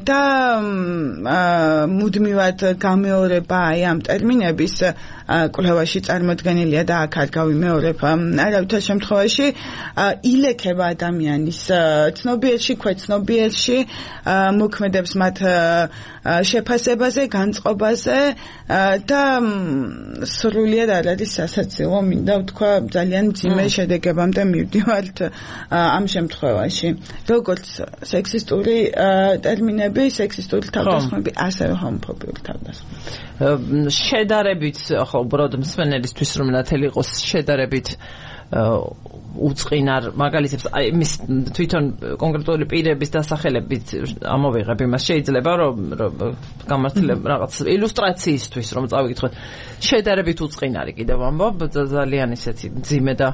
და მუდმივად გამეორება აი ამ ტერმინების კვლევაში წარმოდგენილია და აქ არ გავიმეორებ არავითარ შემთხვევაში ილექება ადამიანის ცნობიერში, ქვეცნობიერში მოქმედებს მათ შეფასებაზე, განწყობაზე და სრულიად არ არის სასაცილო მინდა ვთქვა ძალიან მძიმე შედეგებამდე მივდივართ ამ შემთხვევაში როგორც სექსისტური ტერმინები, სექსისტური თავდასხმები, ასევე ჰომოფობიური თავდასხმები. შედარებით, ხო, უბრალოდ მსმენელისთვის რომ ნათელი იყოს შედარებით უწყინარ მაგალითებს აი მის თვითონ კონკრეტული პირების დასახელებით ამოვიღებ იმას შეიძლება რომ გამართლებ რაღაც ილუსტრაციისთვის რომ წავიკითხოთ შედარებით უწყინარი კიდევ ამბობ ძალიან ისეთი ძიმე და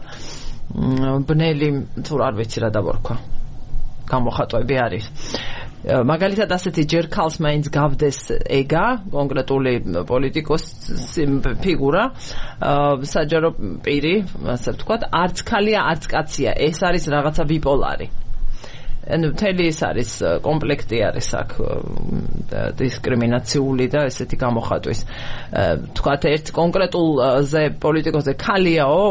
ბნელი თუ არ ვიცი რა დავარქვა გამოხატვები არის მაგალითად ასეთი ჯერ ქალს მაინც გავდეს ეგა კონკრეტული პოლიტიკოსი ფიგურა საჯარო პირი ასე ვთქვათ არც ქალია არც კაცია ეს არის რაღაცა ბიპოლარი ანუ მთელი ეს არის კომპლექტი არის აქ დისკრიმინაციული და ესეთი გამოხატვის თქვათ ერთ კონკრეტულზე პოლიტიკოსზე ქალიაო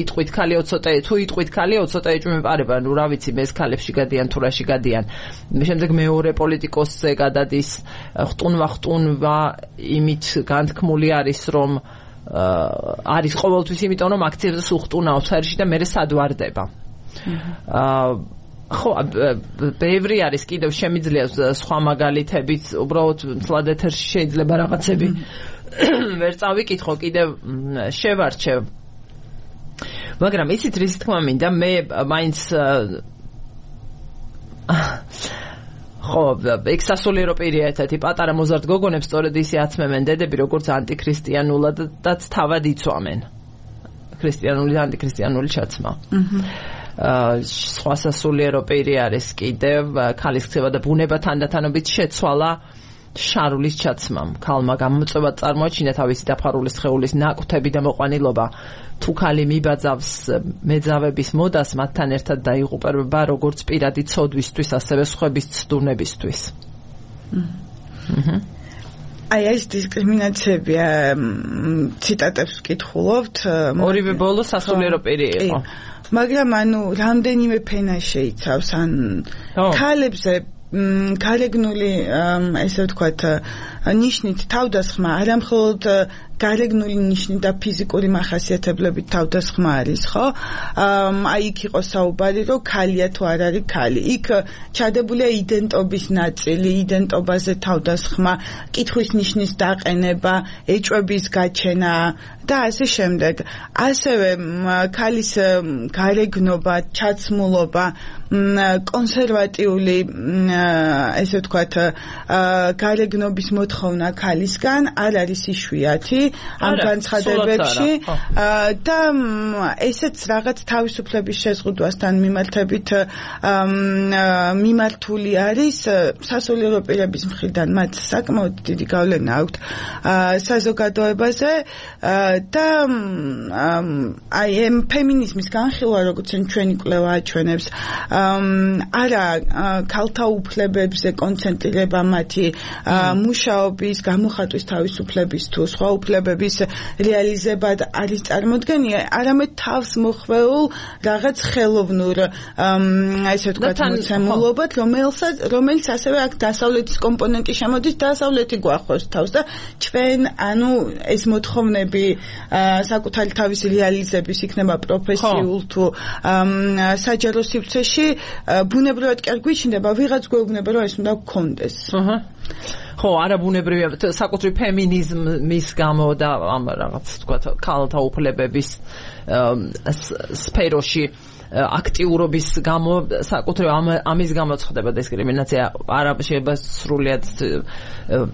იტყვით ქალიო ცოტა თუ იტყვით ქალიო ცოტა ეჭვმეპარება ანუ რა ვიცი ეს ქალებში გადიან თუ რაში გადიან შემდეგ მეორე პოლიტიკოსზე გადადის ხტუნვა ხტუნვა იმით განთქმული არის რომ არის ყოველთვის იმიტომ რომ აქციებზე სულ ხტუნაობს ჰერში და მერე სადვარდება აა ხო ბევრი არის კიდევ შემიძლია სხვა მაგალითებიც უბრალოდ თლად ეთერში შეიძლება რაღაცები ვერ წავიკითხო კიდევ შევარჩევ მაგრამ ისიც რის თქმა მინდა მე მაინც ხო ეგ სასულიერო პირია ერთეთი პატარა მოზარდ გოგონებს სწორედ ისე აცმევენ დედები როგორც ანტიქრისტიანულადაც თავად იცვამენ ქრისტიანული ანტიქრისტიანული ჩაცმა სხვა სასულიერო პირი არის კიდევ ქალის ქცევა და ბუნება თანდათანობით შეცვალა შარულის ჩაცმამ ქალმა გამოწვევად წარმოაჩინა თავისი დაფარული სხეულის ნაკვთები და მოყვანილობა თუ ქალი მიბაძავს მეძავების მოდას მათთან ერთად დაიღუპება როგორც პირადი ცოდვისთვის ასევე სხვების ცდუნებისთვის აი ეს დისკრიმინაციებია ციტატებს ვკითხულობთ ორივე ბოლო სასულიერო პირი იყო მაგრამ ანუ რამდენიმე ფენა შეიცავს ან ქალებზე გარეგნული ესე ვთქვათ ნიშნით თავდასხმა არა მხოლოდ გარეგნული ნიშნით და ფიზიკური მახასიათებლებით თავდასხმა არის ხო აი იქ იყო საუბარი რომ ქალია თუ არ არის ქალი იქ ჩადებულია იდენტობის ნაწილი იდენტობაზე თავდასხმა კითხვის ნიშნის დაყენება ეჭვების გაჩენა და ასე შემდეგ ასევე ქალის გარეგნობა ჩაცმულობა კონსერვატიული ესე ვთქვათ გარეგნობის მოთხოვნა ქალისგან არ არის იშვიათი ამ განცხადებებში და ესეც რაღაც თავისუფლების შეზღუდვასთან მიმართებით მიმართული არის სასულიერო პირების მხრიდან მათ საკმაოდ დიდი გავლენა აქვთ საზოგადოებაზე და აი ამ ფემინიზმის განხილვა როგორც ჩვენი კვლევა აჩვენებს არა ქალთა უფლებებზე კონცენტრირება მათი მუშაობის გამოხატვის თავისუფლების თუ სხვა უფლებების რეალიზება არის წარმოდგენილი არამედ თავს მოხვეულ რაღაც ხელოვნურ ესე ვთქვათ მოცემულობად რომელსაც რომელიც ასევე აქ დასავლეთის კომპონენტი შემოდის დასავლეთი გვახოს თავს და ჩვენ ანუ ეს მოთხოვნები საკუთარი თავის რეალიზების იქნება პროფესიულ თუ საჯარო სივრცეში ბუნებრივად კი არ გვიჩნდება ვიღაც გვეუბნება რომ ეს უნდა გქონდეს აჰა ხო არა ბუნებრივია საკუთრივ ფემინიზმის გამო და ამ რაღაც თქვათ ქალთა უფლებების სფეროში აქტიურობის გამო საკუთრივ ამის გამო ხდება დისკრიმინაცია არა შეიძლება სრულიად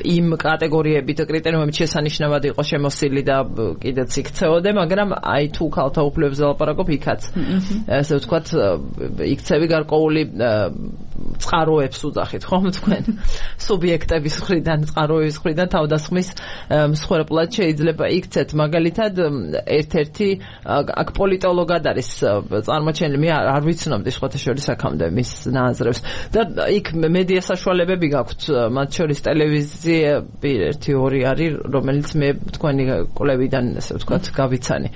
იმ კატეგორიებით კრიტერიუმებით შესანიშნავად იყო შემოსილი და კიდეც იქცეოდე მაგრამ აი თუ ქალთა უფლებებზე ლაპარაკობ იქაც ასე ვთქვათ იქცევი გარკვეული წყაროებს უძახით ხომ თქვენ სუბიექტების მხრიდან წყაროების მხრიდან თავდასხმის მსხვერპლად შეიძლება იქცეთ მაგალითად ერთ-ერთი აქ პოლიტოლოგად არის წარმოჩენილი მე არ ვიცნობდი სხვათა შორის აქამდე მის ნაზრებს და იქ მედია საშუალებები გაქვთ მათ შორის ტელევიზიები ერთი ორი არის რომელიც მე თქვენი კვლევიდან ასე ვთქვათ გავიცანი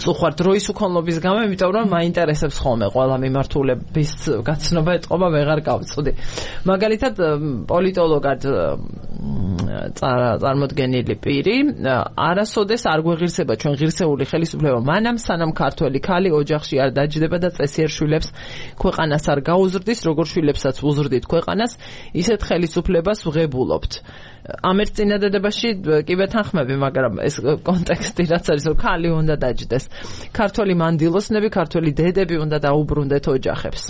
სულ ხარ დროის უქონლობის გამო იმიტომ რომ მაინტერესებს ხოლმე ყველა მიმართულების გაცნობა ეთყობა ვეღარ გავ გავწვდი. მაგალითად პოლიტოლოგად წარმოდგენილი პირი არასოდეს არ გვეღირსება ჩვენ ღირსეული ხელისუფლება მანამ სანამ ქართველი ქალი ოჯახში არ დაჯდება და წესიერ შვილებს ქვეყანას არ გაუზრდის, როგორ შვილებსაც უზრდით ქვეყანას, ისეთ ხელისუფლებას ვღებულობთ. ამ ერთ წინადადებაში კი ვეთანხმები, მაგრამ ეს კონტექსტი რაც არის, რომ ქალი უნდა დაჯდეს. ქართველი მანდილოსნები, ქართველი დედები უნდა დაუბრუნდეთ ოჯახებს.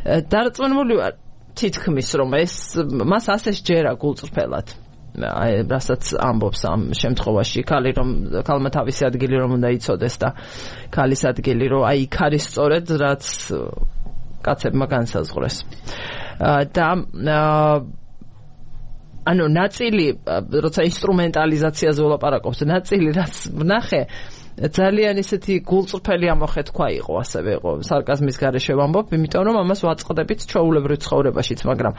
დარწმუნებული ვარ თითქმის რომ ეს მას ასე შეჯერა გულწრფელად. აი რასაც ამბობს ამ შემთხვევაში ქალი რომ ქალმა თავისი ადგილი რომ უნდა იცოდეს და ქალის ადგილი რომ აი იქ არის სწორედ რაც კაცებმა განსაზღვრეს. და ანუ ნაწილი როცა ინსტრუმენტალიზაციაზე ვლაპარაკობთ, ნაწილი რაც ვნახე ძალიან ისეთი გულწრფელი ამოხეთქვა იყო, ასევე იყო სარკაზმის გარეშე ვამბობ, იმიტომ რომ ამას ვაწყდებით ჩვეულებრივ ცხოვრებაშიც, მაგრამ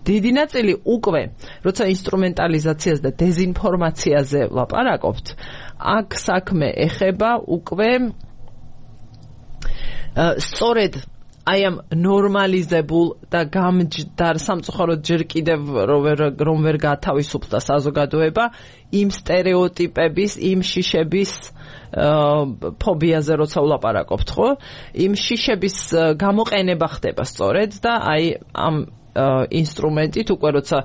დიდი ნაწილი უკვე როცა ინსტრუმენტალიზაციაზე და დეზინფორმაციაზე ვლაპარაკობთ, აქ საქმე ეხება უკვე სწორედ აი ამ ნორმალიზებულ და გამჯდარ სამწუხაროდ ჯერ კიდევ რომ ვერ გათავისუფლდა საზოგადოება იმ სტერეოტიპების, იმ შიშების ფობიაზე როცა ვლაპარაკობთ, ხო? იმ შიშების გამოყენება ხდება სწორედ და აი ამ ინსტრუმენტით უკვე როცა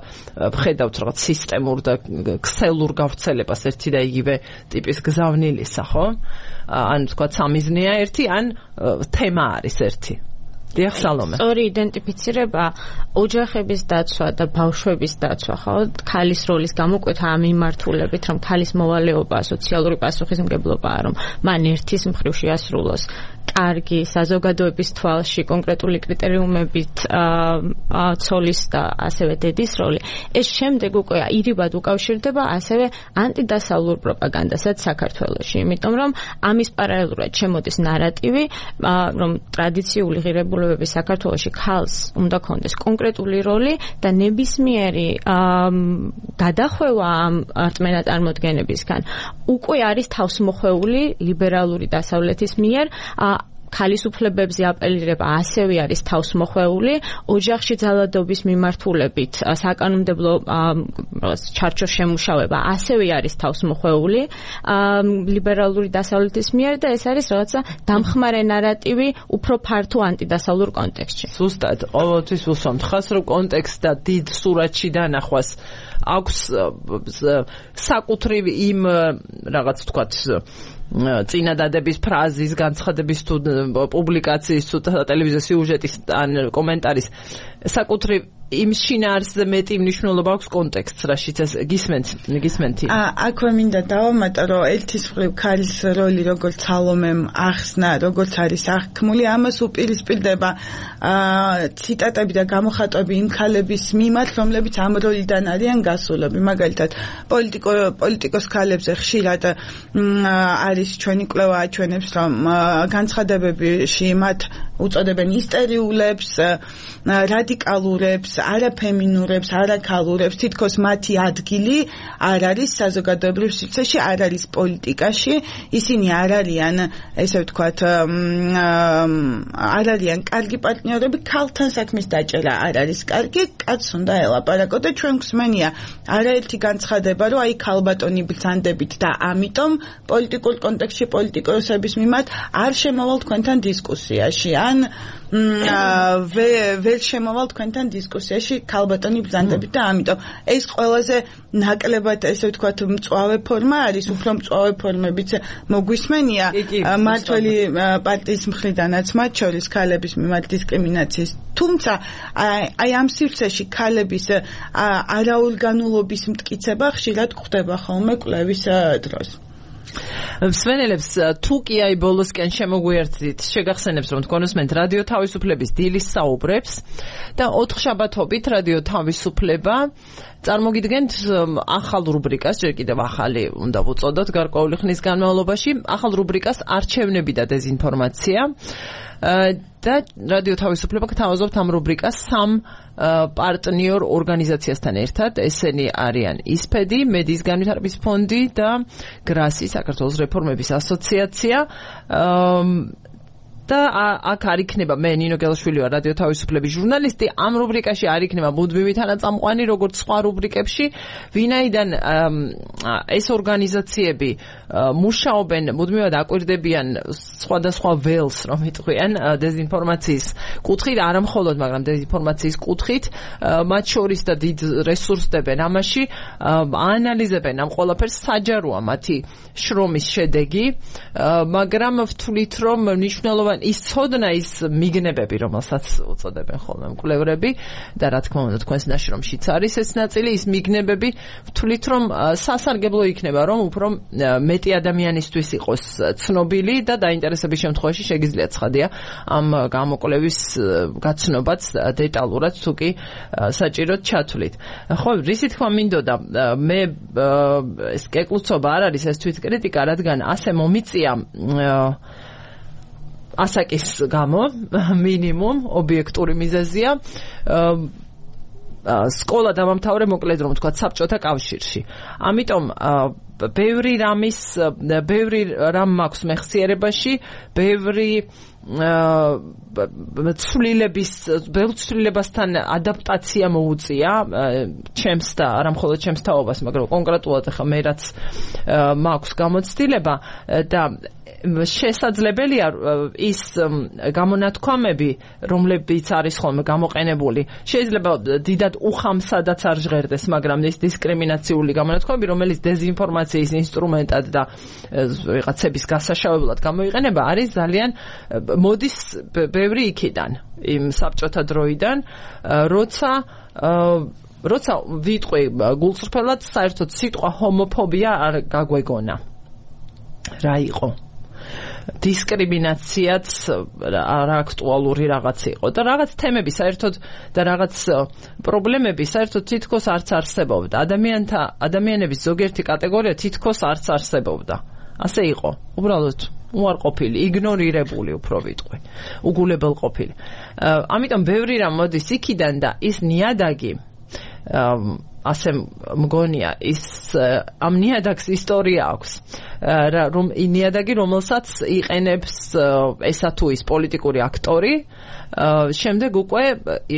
ვხედავთ რაღაც სისტემურ და ქსელურ გავრცელებას ერთი და იგივე ტიპის გზავნილისა, ხო? ან თქვა სამიზნეა ერთი, ან თემა არის ერთი. დიახ, სალომე. სწორი იდენტიფიცირება ოჯახების დაცვა და ბავშვების დაცვა, ხო? ქალის როლის გამოკვეთა ამ მიმართულებით, რომ ქალის მოვალეობა სოციალური პასუხისმგებლობაა, რომ მან ერთის მხრივ შეასრულოს კარგი საზოგადოების თვალში კონკრეტული კრიტერიუმებით ცოლის და ასევე დედის როლი. ეს შემდეგ უკვე ირიბად უკავშირდება ასევე ანტიდასავლურ პროპაგანდასაც საქართველოში, იმიტომ რომ ამის პარალელურად შემოდის ნარატივი, რომ ტრადიციული ღირებულებების საქართველოში ქალს უნდა ქონდეს კონკრეტული როლი და ნებისმიერი გადახვევა ამ რწმენა წარმოდგენებისგან უკვე არის თავსმოხვეული ლიბერალური დასავლეთის მიერ. ქალის უფლებებზე აპელირება ასევე არის თავსმოხვეული, ოჯახში ძალადობის მიმართულებით საკანონმდებლო ჩარჩოს შემუშავება ასევე არის თავსმოხვეული ლიბერალური დასავლეთის მიერ და ეს არის რაღაცა დამხმარე ნარატივი უფრო ფართო ანტიდასავლურ კონტექსტში. ზუსტად, ყოველთვის ვუსვამთ ხაზს, რომ კონტექსტ და დიდ სურათში დანახვას აქვს საკუთრივ იმ რაღაც თქვათ წინადადების ფრაზის, განცხადების თუ პუბლიკაციის თუ ტელევიზიის სიუჟეტის ან კომენტარის საკუთრივ იმ შინაარსზე მეტი მნიშვნელობა აქვს კონტექსტს, რაშიც ეს გისმენთ, გისმენთი. აქვე მინდა დავამატო, რომ ერთის მხრივ ქალის როლი როგორც სალომემ ახსნა, როგორც არის აღქმული, ამას უპირისპირდება ციტატები და გამოხატვები იმ ქალების მიმართ, რომლებიც ამ როლიდან არიან გასულები. მაგალითად, პოლიტიკო პოლიტიკოს ქალებზე ხშირად არის ჩვენი კვლევა აჩვენებს, რომ განცხადებებში მათ უწოდებენ ისტერიულებს, რადიკალურებს, არაფემინურებს, არაქალურებს, თითქოს მათი ადგილი არ არის საზოგადოებრივ სივრცეში, არ არის პოლიტიკაში, ისინი არ არიან, ესე ვთქვათ, არ არიან კარგი პარტნიორები, ქალთან საქმის დაჭერა არ არის კარგი, კაცს უნდა ელაპარაკო და ჩვენ გვსმენია არაერთი განცხადება, რომ აი ქალბატონი ბრძანდებით და ამიტომ პოლიტიკურ კონტექსტში პოლიტიკოსების მიმართ არ შემოვალ თქვენთან დისკუსიაში, ან ვერ შემოვალ თქვენთან დისკუსიაში ქალბატონი ბრძანდებით და ამიტომ ეს ყველაზე ნაკლებად ესე ვთქვათ მწვავე ფორმა არის, უფრო მწვავე ფორმებიც მოგვისმენია მართველი პარტიის მხრიდანაც მათ შორის ქალების მიმართ დისკრიმინაციის, თუმცა აი ამ სივრცეში ქალების არაორგანულობის მტკიცება ხშირად გვხდება ხოლმე კვლევის დროს. მსმენელებს თუ კი აი ბოლოსკენ შემოგვიერთდით, შეგახსენებს რომ თქვენოსმენთ რადიო თავისუფლების დილის საუბრებს და ოთხშაბათობით რადიო თავისუფლება წარმოგიდგენთ ახალ რუბრიკას, ჯერ კიდევ ახალი უნდა ვუწოდოთ გარკვეული ხნის განმავლობაში, ახალ რუბრიკას არჩევნები და დეზინფორმაცია და რადიო თავისუფლება გთავაზობთ ამ რუბრიკას სამ პარტნიორ ორგანიზაციასთან ერთად, ესენი არიან ისფედი, მედიის განვითარების ფონდი და გრასი, საქართველოს რეფორმების ასოციაცია. და აქ არ იქნება მე ნინო გელაშვილი ვარ რადიო თავისუფლების ჟურნალისტი ამ რუბრიკაში არ იქნება მუდმივი თანაწამყვანი როგორც სხვა რუბრიკებში ვინაიდან ეს ორგანიზაციები მუშაობენ მუდმივად აკვირდებიან სხვადასხვა ველს რომ იტყვიან დეზინფორმაციის კუთხით არა მხოლოდ მაგრამ დეზინფორმაციის კუთხით მათ შორის და დიდ რესურსს დებენ ამაში აანალიზებენ ამ ყველაფერს საჯაროა მათი შრომის შედეგი მაგრამ ვთვლით რომ მნიშვნელოვანი ის ცოდნა ის მიგნებები რომელსაც უწოდებენ ხოლმე მკვლევრები და რა თქმა უნდა თქვენს ნაშრომშიც არის ეს ნაწილი ის მიგნებები ვთვლით რომ სასარგებლო იქნება რომ უფრო მეტი ადამიანისთვის იყოს ცნობილი და დაინტერესების შემთხვევაში შეგიძლიათ ცხადია ამ გამოკვლევის გაცნობაც დეტალურად თუ კი საჭიროდ ჩათვლით ხო რისი თქმა მინდოდა მე ეს კეკლუცობა არ არის ეს თვითკრიტიკა რადგან ასე მომიწია ასაკის გამო მინიმუმ ობიექტური მიზეზია სკოლა დამამთავრე მოკლედ რომ თქვა საბჭოთა კავშირში ამიტომ ბევრი რამის ბევრი რამ მაქვს მეხსიერებაში ბევრი ცვლილების ბევრ ცვლილებასთან ადაპტაცია მოუწია ჩემს და არა მხოლოდ ჩემს თაობას მაგრამ კონკრეტულად ახლა მე რაც მაქვს გამოცდილება და შესაძლებელია ის გამონათქვამები რომლებიც არის ხოლმე გამოყენებული შეიძლება დიდად უხამსადაც არ ჟღერდეს მაგრამ ის დისკრიმინაციული გამონათქვამები რომელიც დეზინფორმაციის ინსტრუმენტად და ვიღაცების გასაშავებლად გამოიყენება არის ძალიან მოდის ბევრი იქიდან იმ საბჭოთა დროიდან როცა როცა ვიტყვი გულწრფელად საერთოდ სიტყვა ჰომოფობია არ გაგვეგონა რა იყო დისკრიმინაციაც რა აქტუალური რაღაც იყო და რაღაც თემები საერთოდ და რაღაც პრობლემები საერთოდ თითქოს არც არსებობდა ადამიანთა ადამიანების ზოგიერთი კატეგორია თითქოს არც არსებობდა ასე იყო უბრალოდ უარყოფილი იგნორირებული უფრო ვიტყვი უგულებელყოფილი ამიტომ ბევრი რამ მოდის იქიდან და ის ნიადაგი ასე მგონია ის ამ ნიადაგს ისტორია აქვს რომ ნიადაგი რომელსაც იყენებს ესა თუ ის პოლიტიკური აქტორი შემდეგ უკვე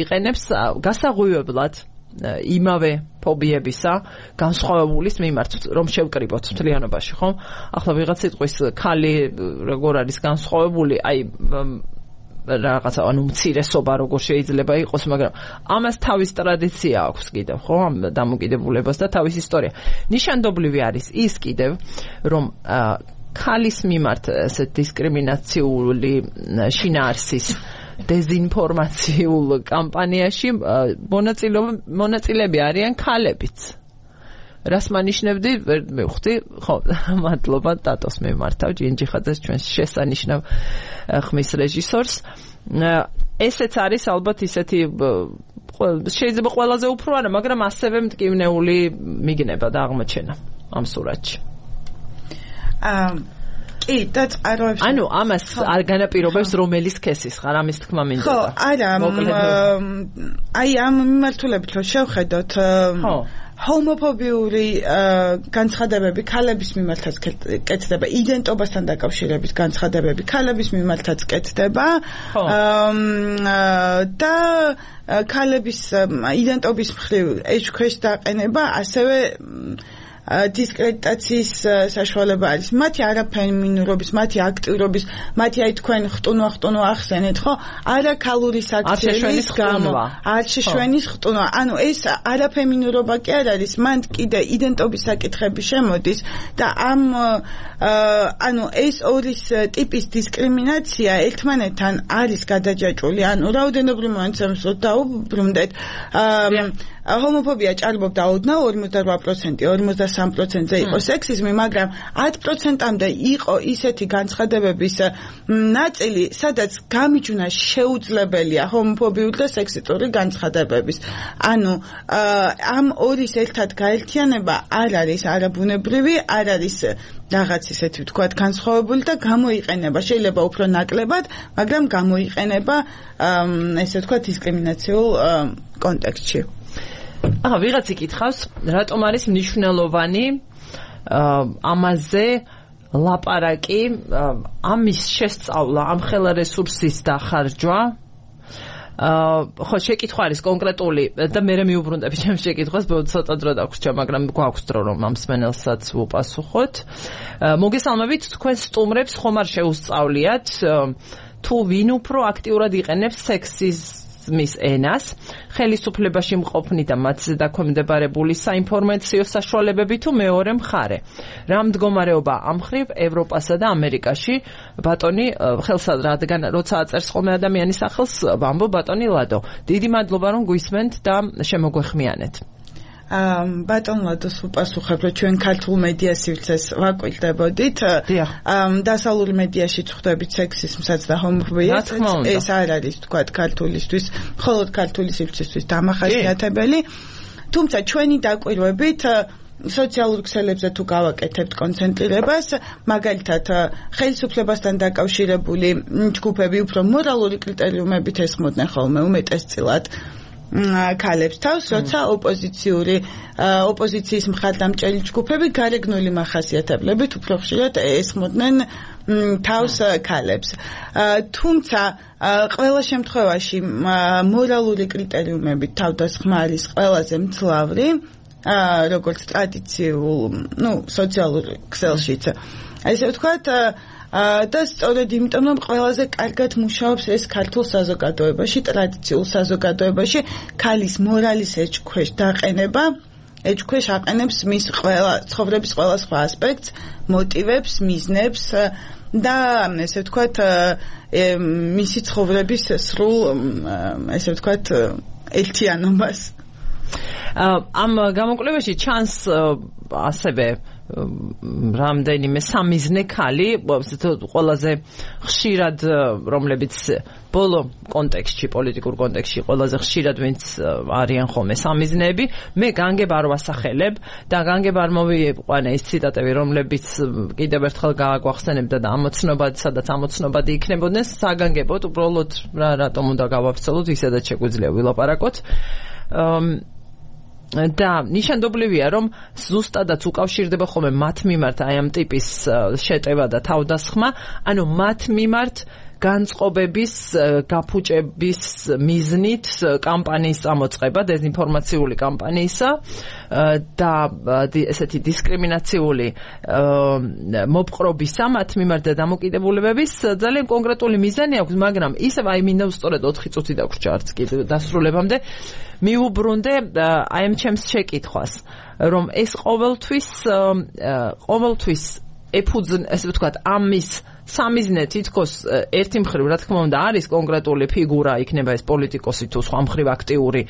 იყენებს გასაღვივებლად იმავე ფობიებისა განსხვავებულის მიმართ რომ შევკრიბოთ მთლიანობაში ხო ახლა ვიღაც სიტყვის ქალი როგორ არის განსხვავებული აი რაღაცა ანუ მცირესობა როგორ შეიძლება იყოს მაგრამ ამას თავის ტრადიცია აქვს კიდევ ხო ამ დამოკიდებულებას და თავის ისტორია ნიშანდობლივი არის ის კიდევ რომ ქალის მიმართ ესე დისკრიმინაციული შინაარსის დეზინფორმაციულ კამპანიაში მონაწილეები არიან ქალებიც რას მანიშნებდი ვერ მივხვდი ხო მადლობა დატოს მიმართავ ჯინჯიხაძეს ჩვენს შესანიშნავ ხმის რეჟისორს ესეც არის ალბათ ისეთი შეიძლება ყველაზე უფრო არა მაგრამ ასევე მტკივნეული მიგნება და აღმოჩენა ამ სურათში აა კი და წყაროებში ანუ ამას არ განაპირობებს რომელი სქესის ხარ ამის თქმა მინდოდა ხო არა აი ამ მიმართულებით რომ შევხედოთ ხო ჰომოფობიური განცხადებები ქალების მიმართაც კეთდება იდენტობასთან დაკავშირებით განცხადებები ქალების მიმართაც კეთდება და ქალების იდენტობის მხრივ ეჭქვეშ დაყენება ასევე დისკრედიტაციის საშუალება არის მათი არაფემინურობის მათი აქტიურობის მათი აი თქვენ ხტუნვა ხტუნვა ახსენეთ ხო არაქალური საქციელის გამო არ შეშვენის ხტუნვა ანუ ეს არაფემინურობა კი არ არის მან კიდე იდენტობის საკითხები შემოდის და ამ ანუ ეს ორი ტიპის დისკრიმინაცია ერთმანეთთან არის გადაჯაჭვული ანუ რაოდენობრივ მომენტებს დაუბრუნდეთ ჰომოფობია ჭარბობდა ოდნავ ორმოცდარვა პროცენტი ორმოცდასამი პროცენტზე იყო სექსიზმი მაგრამ ათი პროცენტამდე იყო ისეთი განცხადებების ნაწილი სადაც გამიჯვნა შეუძლებელია ჰომოფობიური და სექსისტური განცხადებების ანუ ამორის ერთად გაერთიანება არ არის არაბუნებრივი არ არის რაღაც ისეთი ვთქვათ განსხვავებული და გამოიყენება შეიძლება უფრო ნაკლებად მაგრამ გამოიყენება ესე ვთქვათ დისკრიმინაციულ კონტექსტში ახლა ვიღაც იკითხავს რატომ არის მნიშვნელოვანი ამაზე ლაპარაკი, ამის შესწავლა, ამ ხელა რესურსის დახარჯვა აა ხო შეკითხვა არის კონკრეტული და მე მეუბრუნდები ჩემს შეკითხვას, ბოლოს ცოტა დრო დაგვრჩა, მაგრამ გვაქვს დრო რომ ამ სმენელსაც ვუპასუხოთ. მოგესალმებით, თქვენ სტუმრებს ხომ არ შეუსწავლიათ თუ ვინ უფრო აქტიურად იყენებს სექსიზმის ენას, ხელისუფლებაში მყოფნი და მათზე დაქვემდებარებული საინფორმაციო საშუალებები თუ მეორე მხარე. რა მდგომარეობა ამ მხრივ ევროპასა და ამერიკაში, ბატონი ხელსა რადგან როცა აწერს ხოლმე ადამიანის სახელს, ვამბობ ბატონი ლადო. დიდი მადლობა რომ გვისმენთ და შემოგვეხმიანეთ. ბატონ ლადოს უპასუხებ, რომ ჩვენ ქართულ მედია სივრცეს ვაკვირდებოდით. დასავლურ მედიაში ვხვდებით სექსიზმსაც და ჰომოფობიას. ეს არ არის თქვა ქართულისთვის, მხოლოდ ქართული სივრცისთვის დამახასიათებელი. თუმცა ჩვენი დაკვირვებით სოციალურ ქსელებზე თუ გავაკეთებთ კონცენტრირებას, მაგალითად ხელისუფლებასთან დაკავშირებული ჯგუფები უფრო მორალური კრიტერიუმებით ესხმოდნენ ხოლმე უმეტესწილად ქალებს თავს, როცა ოპოზიციური ოპოზიციის მხარდამჭერი ჯგუფები გარეგნული მახასიათებლებით უფრო ხშირად ესხმოდნენ თავს ქალებს. თუმცა ყველა შემთხვევაში მორალური კრიტერიუმებით თავდასხმა არის ყველაზე მძლავრი, როგორც ტრადიციულ, ну, სოციალურ ქსელშიც. ასე ვთქვათ, და სწორედ იმიტომ რომ ყველაზე კარგად მუშაობს ეს ქართულ საზოგადოებაში, ტრადიციულ საზოგადოებაში, ქალის მორალის ეჭქვეშ დაყენება, ეჭქვეშ აყენებს მის ყველა ცხოვრების ყველა სხვა ასპექტს, მოტივებს, მიზნებს და ესე ვთქვათ, მისი ცხოვრების სრულ, ესე ვთქვათ, ერთიანობას. ამ გამოკვლევაში ჩანს ასევე რამდენიმე სამიზნე ქალი, ყველაზე ხშირად, რომლებიც ბოლო კონტექსტში, პოლიტიკურ კონტექსტში ყველაზე ხშირად ვინც არიან ხოლმე სამიზნეები, მე განგებ არ ვასახელებ და განგებ არ მოვიყვანე ის ციტატები, რომლებიც კიდევ ერთხელ გააგვახსენებდა და ამოცნობად, სადაც ამოცნობადი იქნებოდნენ, საგანგებოდ, უბრალოდ რა რატომ უნდა გავაფცელოთ, ისედაც შეგვიძლია ვილაპარაკოთ. და ნიშანდობლივია, რომ ზუსტადაც უკავშირდება ხოლმე მათ მიმართ აი ამ ტიპის შეტევა და თავდასხმა, ანუ მათ მიმართ განწყობების, გაფუჭების მიზნით კამპანიის წამოწყება, დეзинფორმაციული კამპანიისა და ესეთი დისკრიმინაციული მოპყრობისა მათ მიმართ და დამოკიდებულებების ძალიან კონკრეტული მიზანი აქვს, მაგრამ ისევ აი მინდა ვსწორედ ოთხი წუთი დაგვრჩა არც კიდევ დასრულებამდე მიუბრუნდე აი ამ ჩემს შეკითხვას, რომ ეს ყოველთვის ყოველთვის ეფუძნ, ესე ვთქვათ, ამის სამიზნე თითქოს ერთი მხრივ, რა თქმა უნდა, არის კონკრეტული ფიგურა, იქნება ეს პოლიტიკოსი თუ სხვა მხრივ აქტიური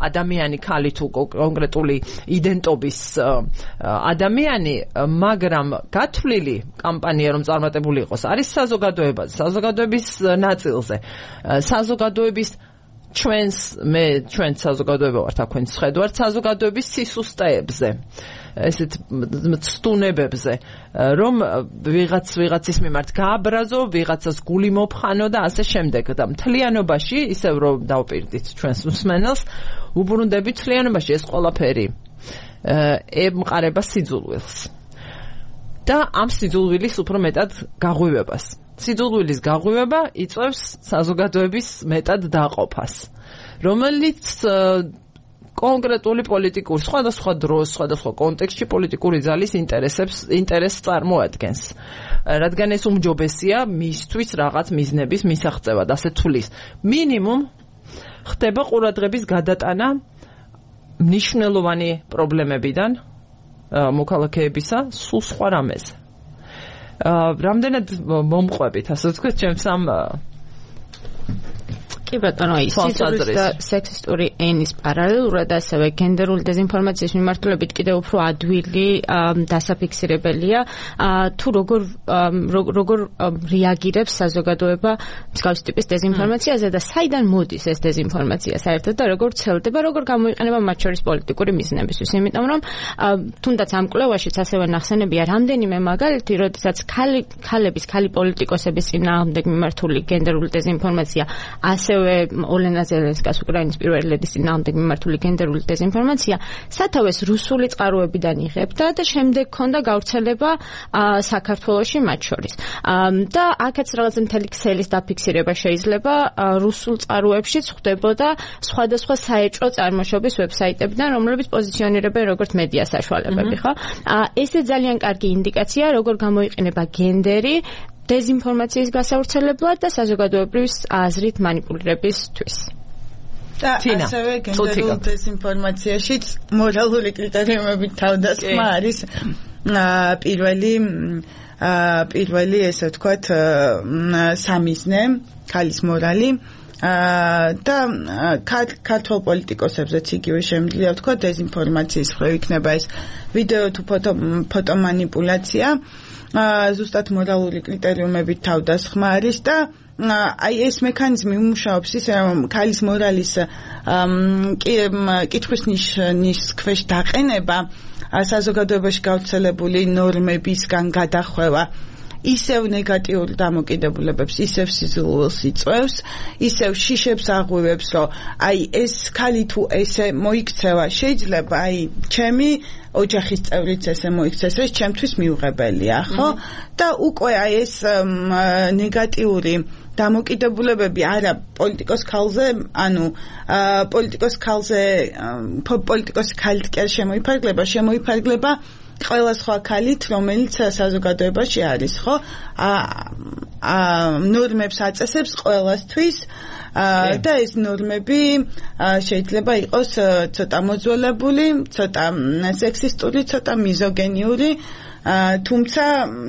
ადამიანი, ქალი თუ კონკრეტული იდენტობის ადამიანი, მაგრამ გათვლილი კამპანია რომ წარმატებული იყოს, არის საზოგადოება, საზოგადოების ნაწილზე, საზოგადოების ჩვენს მე ჩვენს საზოგადოება ვართ, თქვენ შედვართ საზოგადოების სისუსტეებზე, ესეთ ცდუნებებზე, რომ ვიღაც ვიღაცის მიმართ გააბრაზო, ვიღაცას გული მოფხანო და ასე შემდეგ. და მთლიანობაში, ისევ რომ დავპირდით ჩვენს მსმენელს, უბრუნდები მთლიანობაში ეს ყველაფერი ემყარება სიძულვილს. და ამ სიძულვილის უფრო მეტად გაღვივებას. სიძულვილის გაღვივება იწვევს საზოგადოების მეტად დაყოფას, რომელიც კონკრეტული პოლიტიკური სხვადასხვა დროს, სხვადასხვა კონტექსტში პოლიტიკური ძალის ინტერესებს ინტერესს წარმოადგენს. რადგან ეს უმჯობესია მისთვის რაღაც მიზნების მისაღწევად, ასე თulis. მინიმუმ ხდება ყურადღების გადატანა მნიშვნელოვანი პრობლემებიდან მოქალაქეებისა სულ სხვა რამეზე. რამდენად მომყვებით, ასე ვთქვათ, ჩემს ამ კი ბატონო, სიძულვის და სექსისტური ენის პარალელურად ასევე გენდერული დეзинფორმაციის მიმართულებით კიდევ უფრო ადვილი დასაფიქსირებელია, თუ როგორ როგორ რეაგირებს საზოგადოება მსგავსი ტიპის დეзинფორმაციაზე და საიდან მოდის ეს დეзинფორმაცია საერთოდ და როგორ ვრცელდება, როგორ გამოიყენება მათ შორის პოლიტიკური მიზნებისთვის. იმიტომ რომ თუნდაც ამ კვლევაშიც ასევე ნახსენებია რამდენიმე მაგალითი, როდესაც ქალი ქალების, ქალი პოლიტიკოსების წინააღმდეგ მიმართული გენდერული დეзинფორმაცია ასევე ასევე ოლენა ზელენსკას უკრაინის პირველი ლედის წინააღმდეგ მიმართული გენდერული დეზინფორმაცია სათავეს რუსული წყაროებიდან იღებდა და შემდეგ ჰქონდა გავრცელება საქართველოში მათ შორის. და აქაც რაღაც მთელი ქსელის დაფიქსირება შეიძლება რუსულ წყაროებშიც ხდებოდა სხვადასხვა საეჭვო წარმოშობის ვებსაიტებიდან, რომლებიც პოზიციონირებენ როგორც მედია საშუალებები, ხო? ესე ძალიან კარგი ინდიკაცია, როგორ გამოიყენება გენდერი დეზინფორმაციის გასავრცელებლად და საზოგადოებრივი აზრით მანიპულირებისთვის. და ასევე გენდერულ დეზინფორმაციაშიც მორალური კრიტერიუმებით თავდასხმა არის პირველი პირველი ესე ვთქვათ სამიზნე, ქალის მორალი და ქართულ პოლიტიკოსებზეც იგივე შემიძლია ვთქვათ დეზინფორმაციის მხრივ იქნება ეს ვიდეო თუ ფოტო ფოტო მანიპულაცია ზუსტად მორალური კრიტერიუმებით თავდასხმა არის და აი ეს მექანიზმი უმუშაობს ისე რომ ქალის მორალის კითხვის ნიშნის ქვეშ დაყენება საზოგადოებაში გავრცელებული ნორმებისგან გადახვევა ისევ ნეგატიურ დამოკიდებულებებს, ისევ სიზულულს იწვევს, ისევ შიშებს აღვივებს, რომ აი ეს ქალი თუ ესე მოიქცევა, შეიძლება აი ჩემი ოჯახის წევრიც ესე მოიქცეს, ეს ჩემთვის მიუღებელია, ხო? და უკვე აი ეს ნეგატიური დამოკიდებულებები არა პოლიტიკოს ქალზე, ანუ პოლიტიკოს ქალზე პოლიტიკოს ქალით კი არ შემოიფარგლება, შემოიფარგლება ყველა სხვა ქალით, რომელიც საზოგადოებაში არის, ხო? ნორმებს აწესებს ყველასთვის და ეს ნორმები შეიძლება იყოს ცოტა მოძველებული, ცოტა სექსისტური, ცოტა მიზოგენიური, თუმცა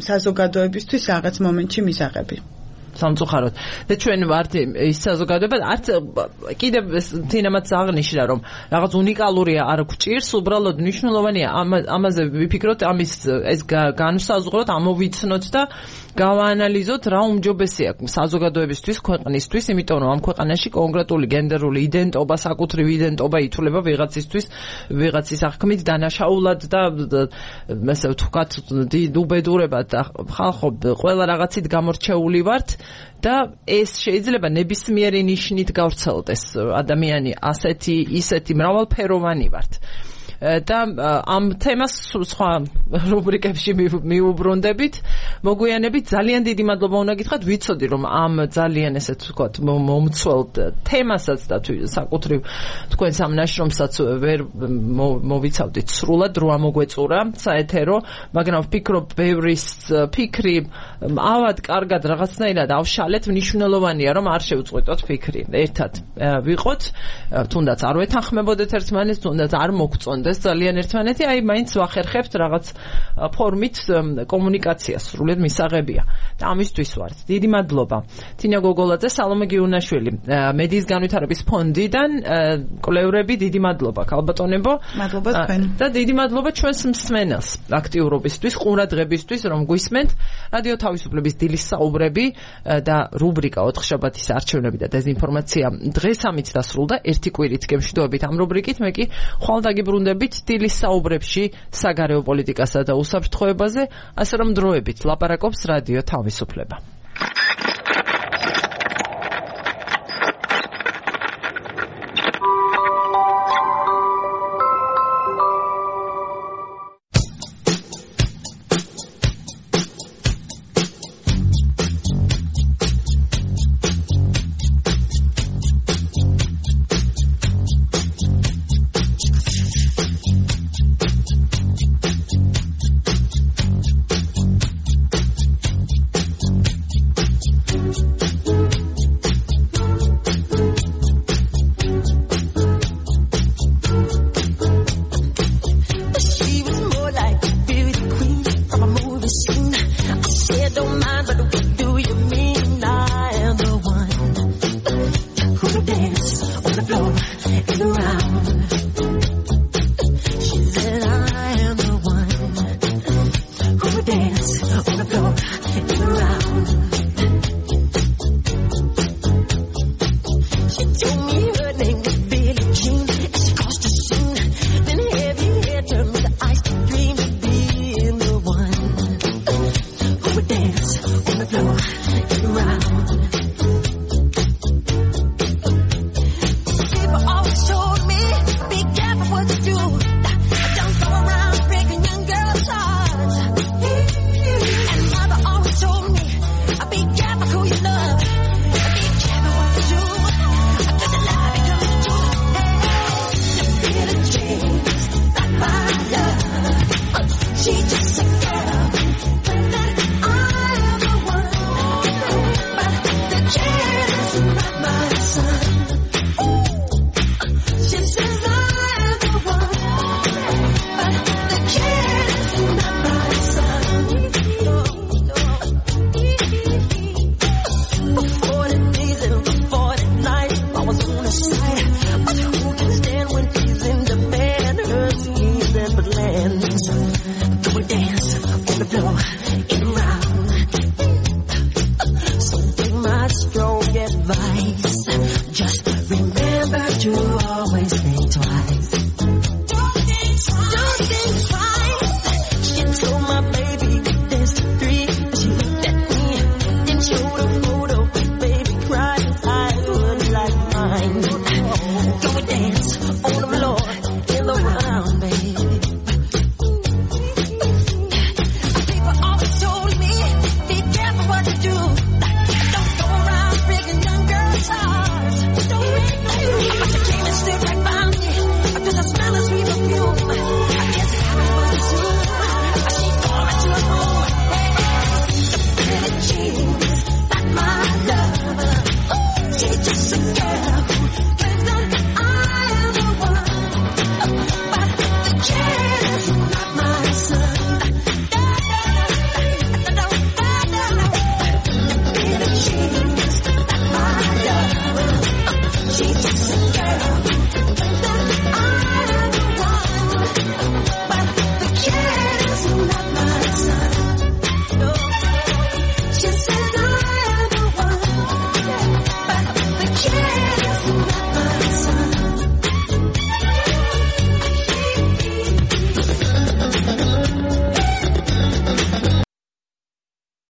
საზოგადოებისთვის რაღაც მომენტში მისაღები. სამწუხაროდ და ჩვენ ვართ ის საზოგადოება არც კიდევ თინამაც აღნიშნა რომ რაღაც უნიკალურია არ გვჭირს უბრალოდ მნიშვნელოვანია ამაზე ვიფიქროთ ამის ეს განვსაზღვროთ ამოვიცნოთ და გავაანალიზოთ რა უმჯობესია საზოგადოებისთვის ქვეყნისთვის იმიტომ რომ ამ ქვეყანაში კონკრეტული გენდერული იდენტობა საკუთრივ იდენტობა ითვლება ვიღაცისთვის ვიღაცის აღქმით დანაშაულად და ესე ვთქვათ უბედურებად და ხალხო ყველა რაღაცით გამორჩეული ვართ და ეს შეიძლება ნებისმიერი ნიშნით გავრცელდეს ადამიანი ასეთი ისეთი მრავალფეროვანი ვართ და ამ თემას სხვა რუბრიკებში მიუბრუნდებით მოგვიანებით ძალიან დიდი მადლობა უნდა გითხრათ ვიცოდი რომ ამ ძალიან ესეთ ვთქვათ მომცველ თემასაც და საკუთრივ თქვენს ამ ნაშრომსაც ვერ მოვიცავდით სრულად რო ამოგვეწურა საეთერო მაგრამ ვფიქრობ ბევრის ფიქრი ავად კარგად რაღაცნაირად ავშალეთ მნიშვნელოვანია რომ არ შევწყვეტოთ ფიქრი ერთად ვიყოთ თუნდაც არ ვეთანხმებოდეთ ერთმანეთს თუნდაც არ მოგწონთ ეს ძალიან ერთმანეთი, აი მაინც ვახერხებთ რაღაც ფორმით კომუნიკაციას, სრულიად მისაღებია. და ამისთვის ვართ. დიდი მადლობა. თინა გოგოლაძე, სალომე გიუნაშვილი, მედიის განვითარების ფონდიდან კვლევრები, დიდი მადლობა ქალბატონებო. მადლობა თქვენ. და დიდი მადლობა ჩვენს მსმენელს აქტიურობისთვის, ყურადღებისთვის, რომ გვისმენთ. რადიო თავისუფლების დილის საუბრები და რუბრიკა ოთხშაბათის არჩევნები და დეზინფორმაცია დღეს ამით დასრულდა. ერთი კვირით გემშვიდობებით ამ რუბრიკით, მე კი ხვალ დაგიბრუნდებით დილის საუბრებში საგარეო პოლიტიკასა და უსაფრთხოებაზე, ასე რომ დროებით ლაპარაკობს რადიო თავისუფლება. Dance on the floor, get around.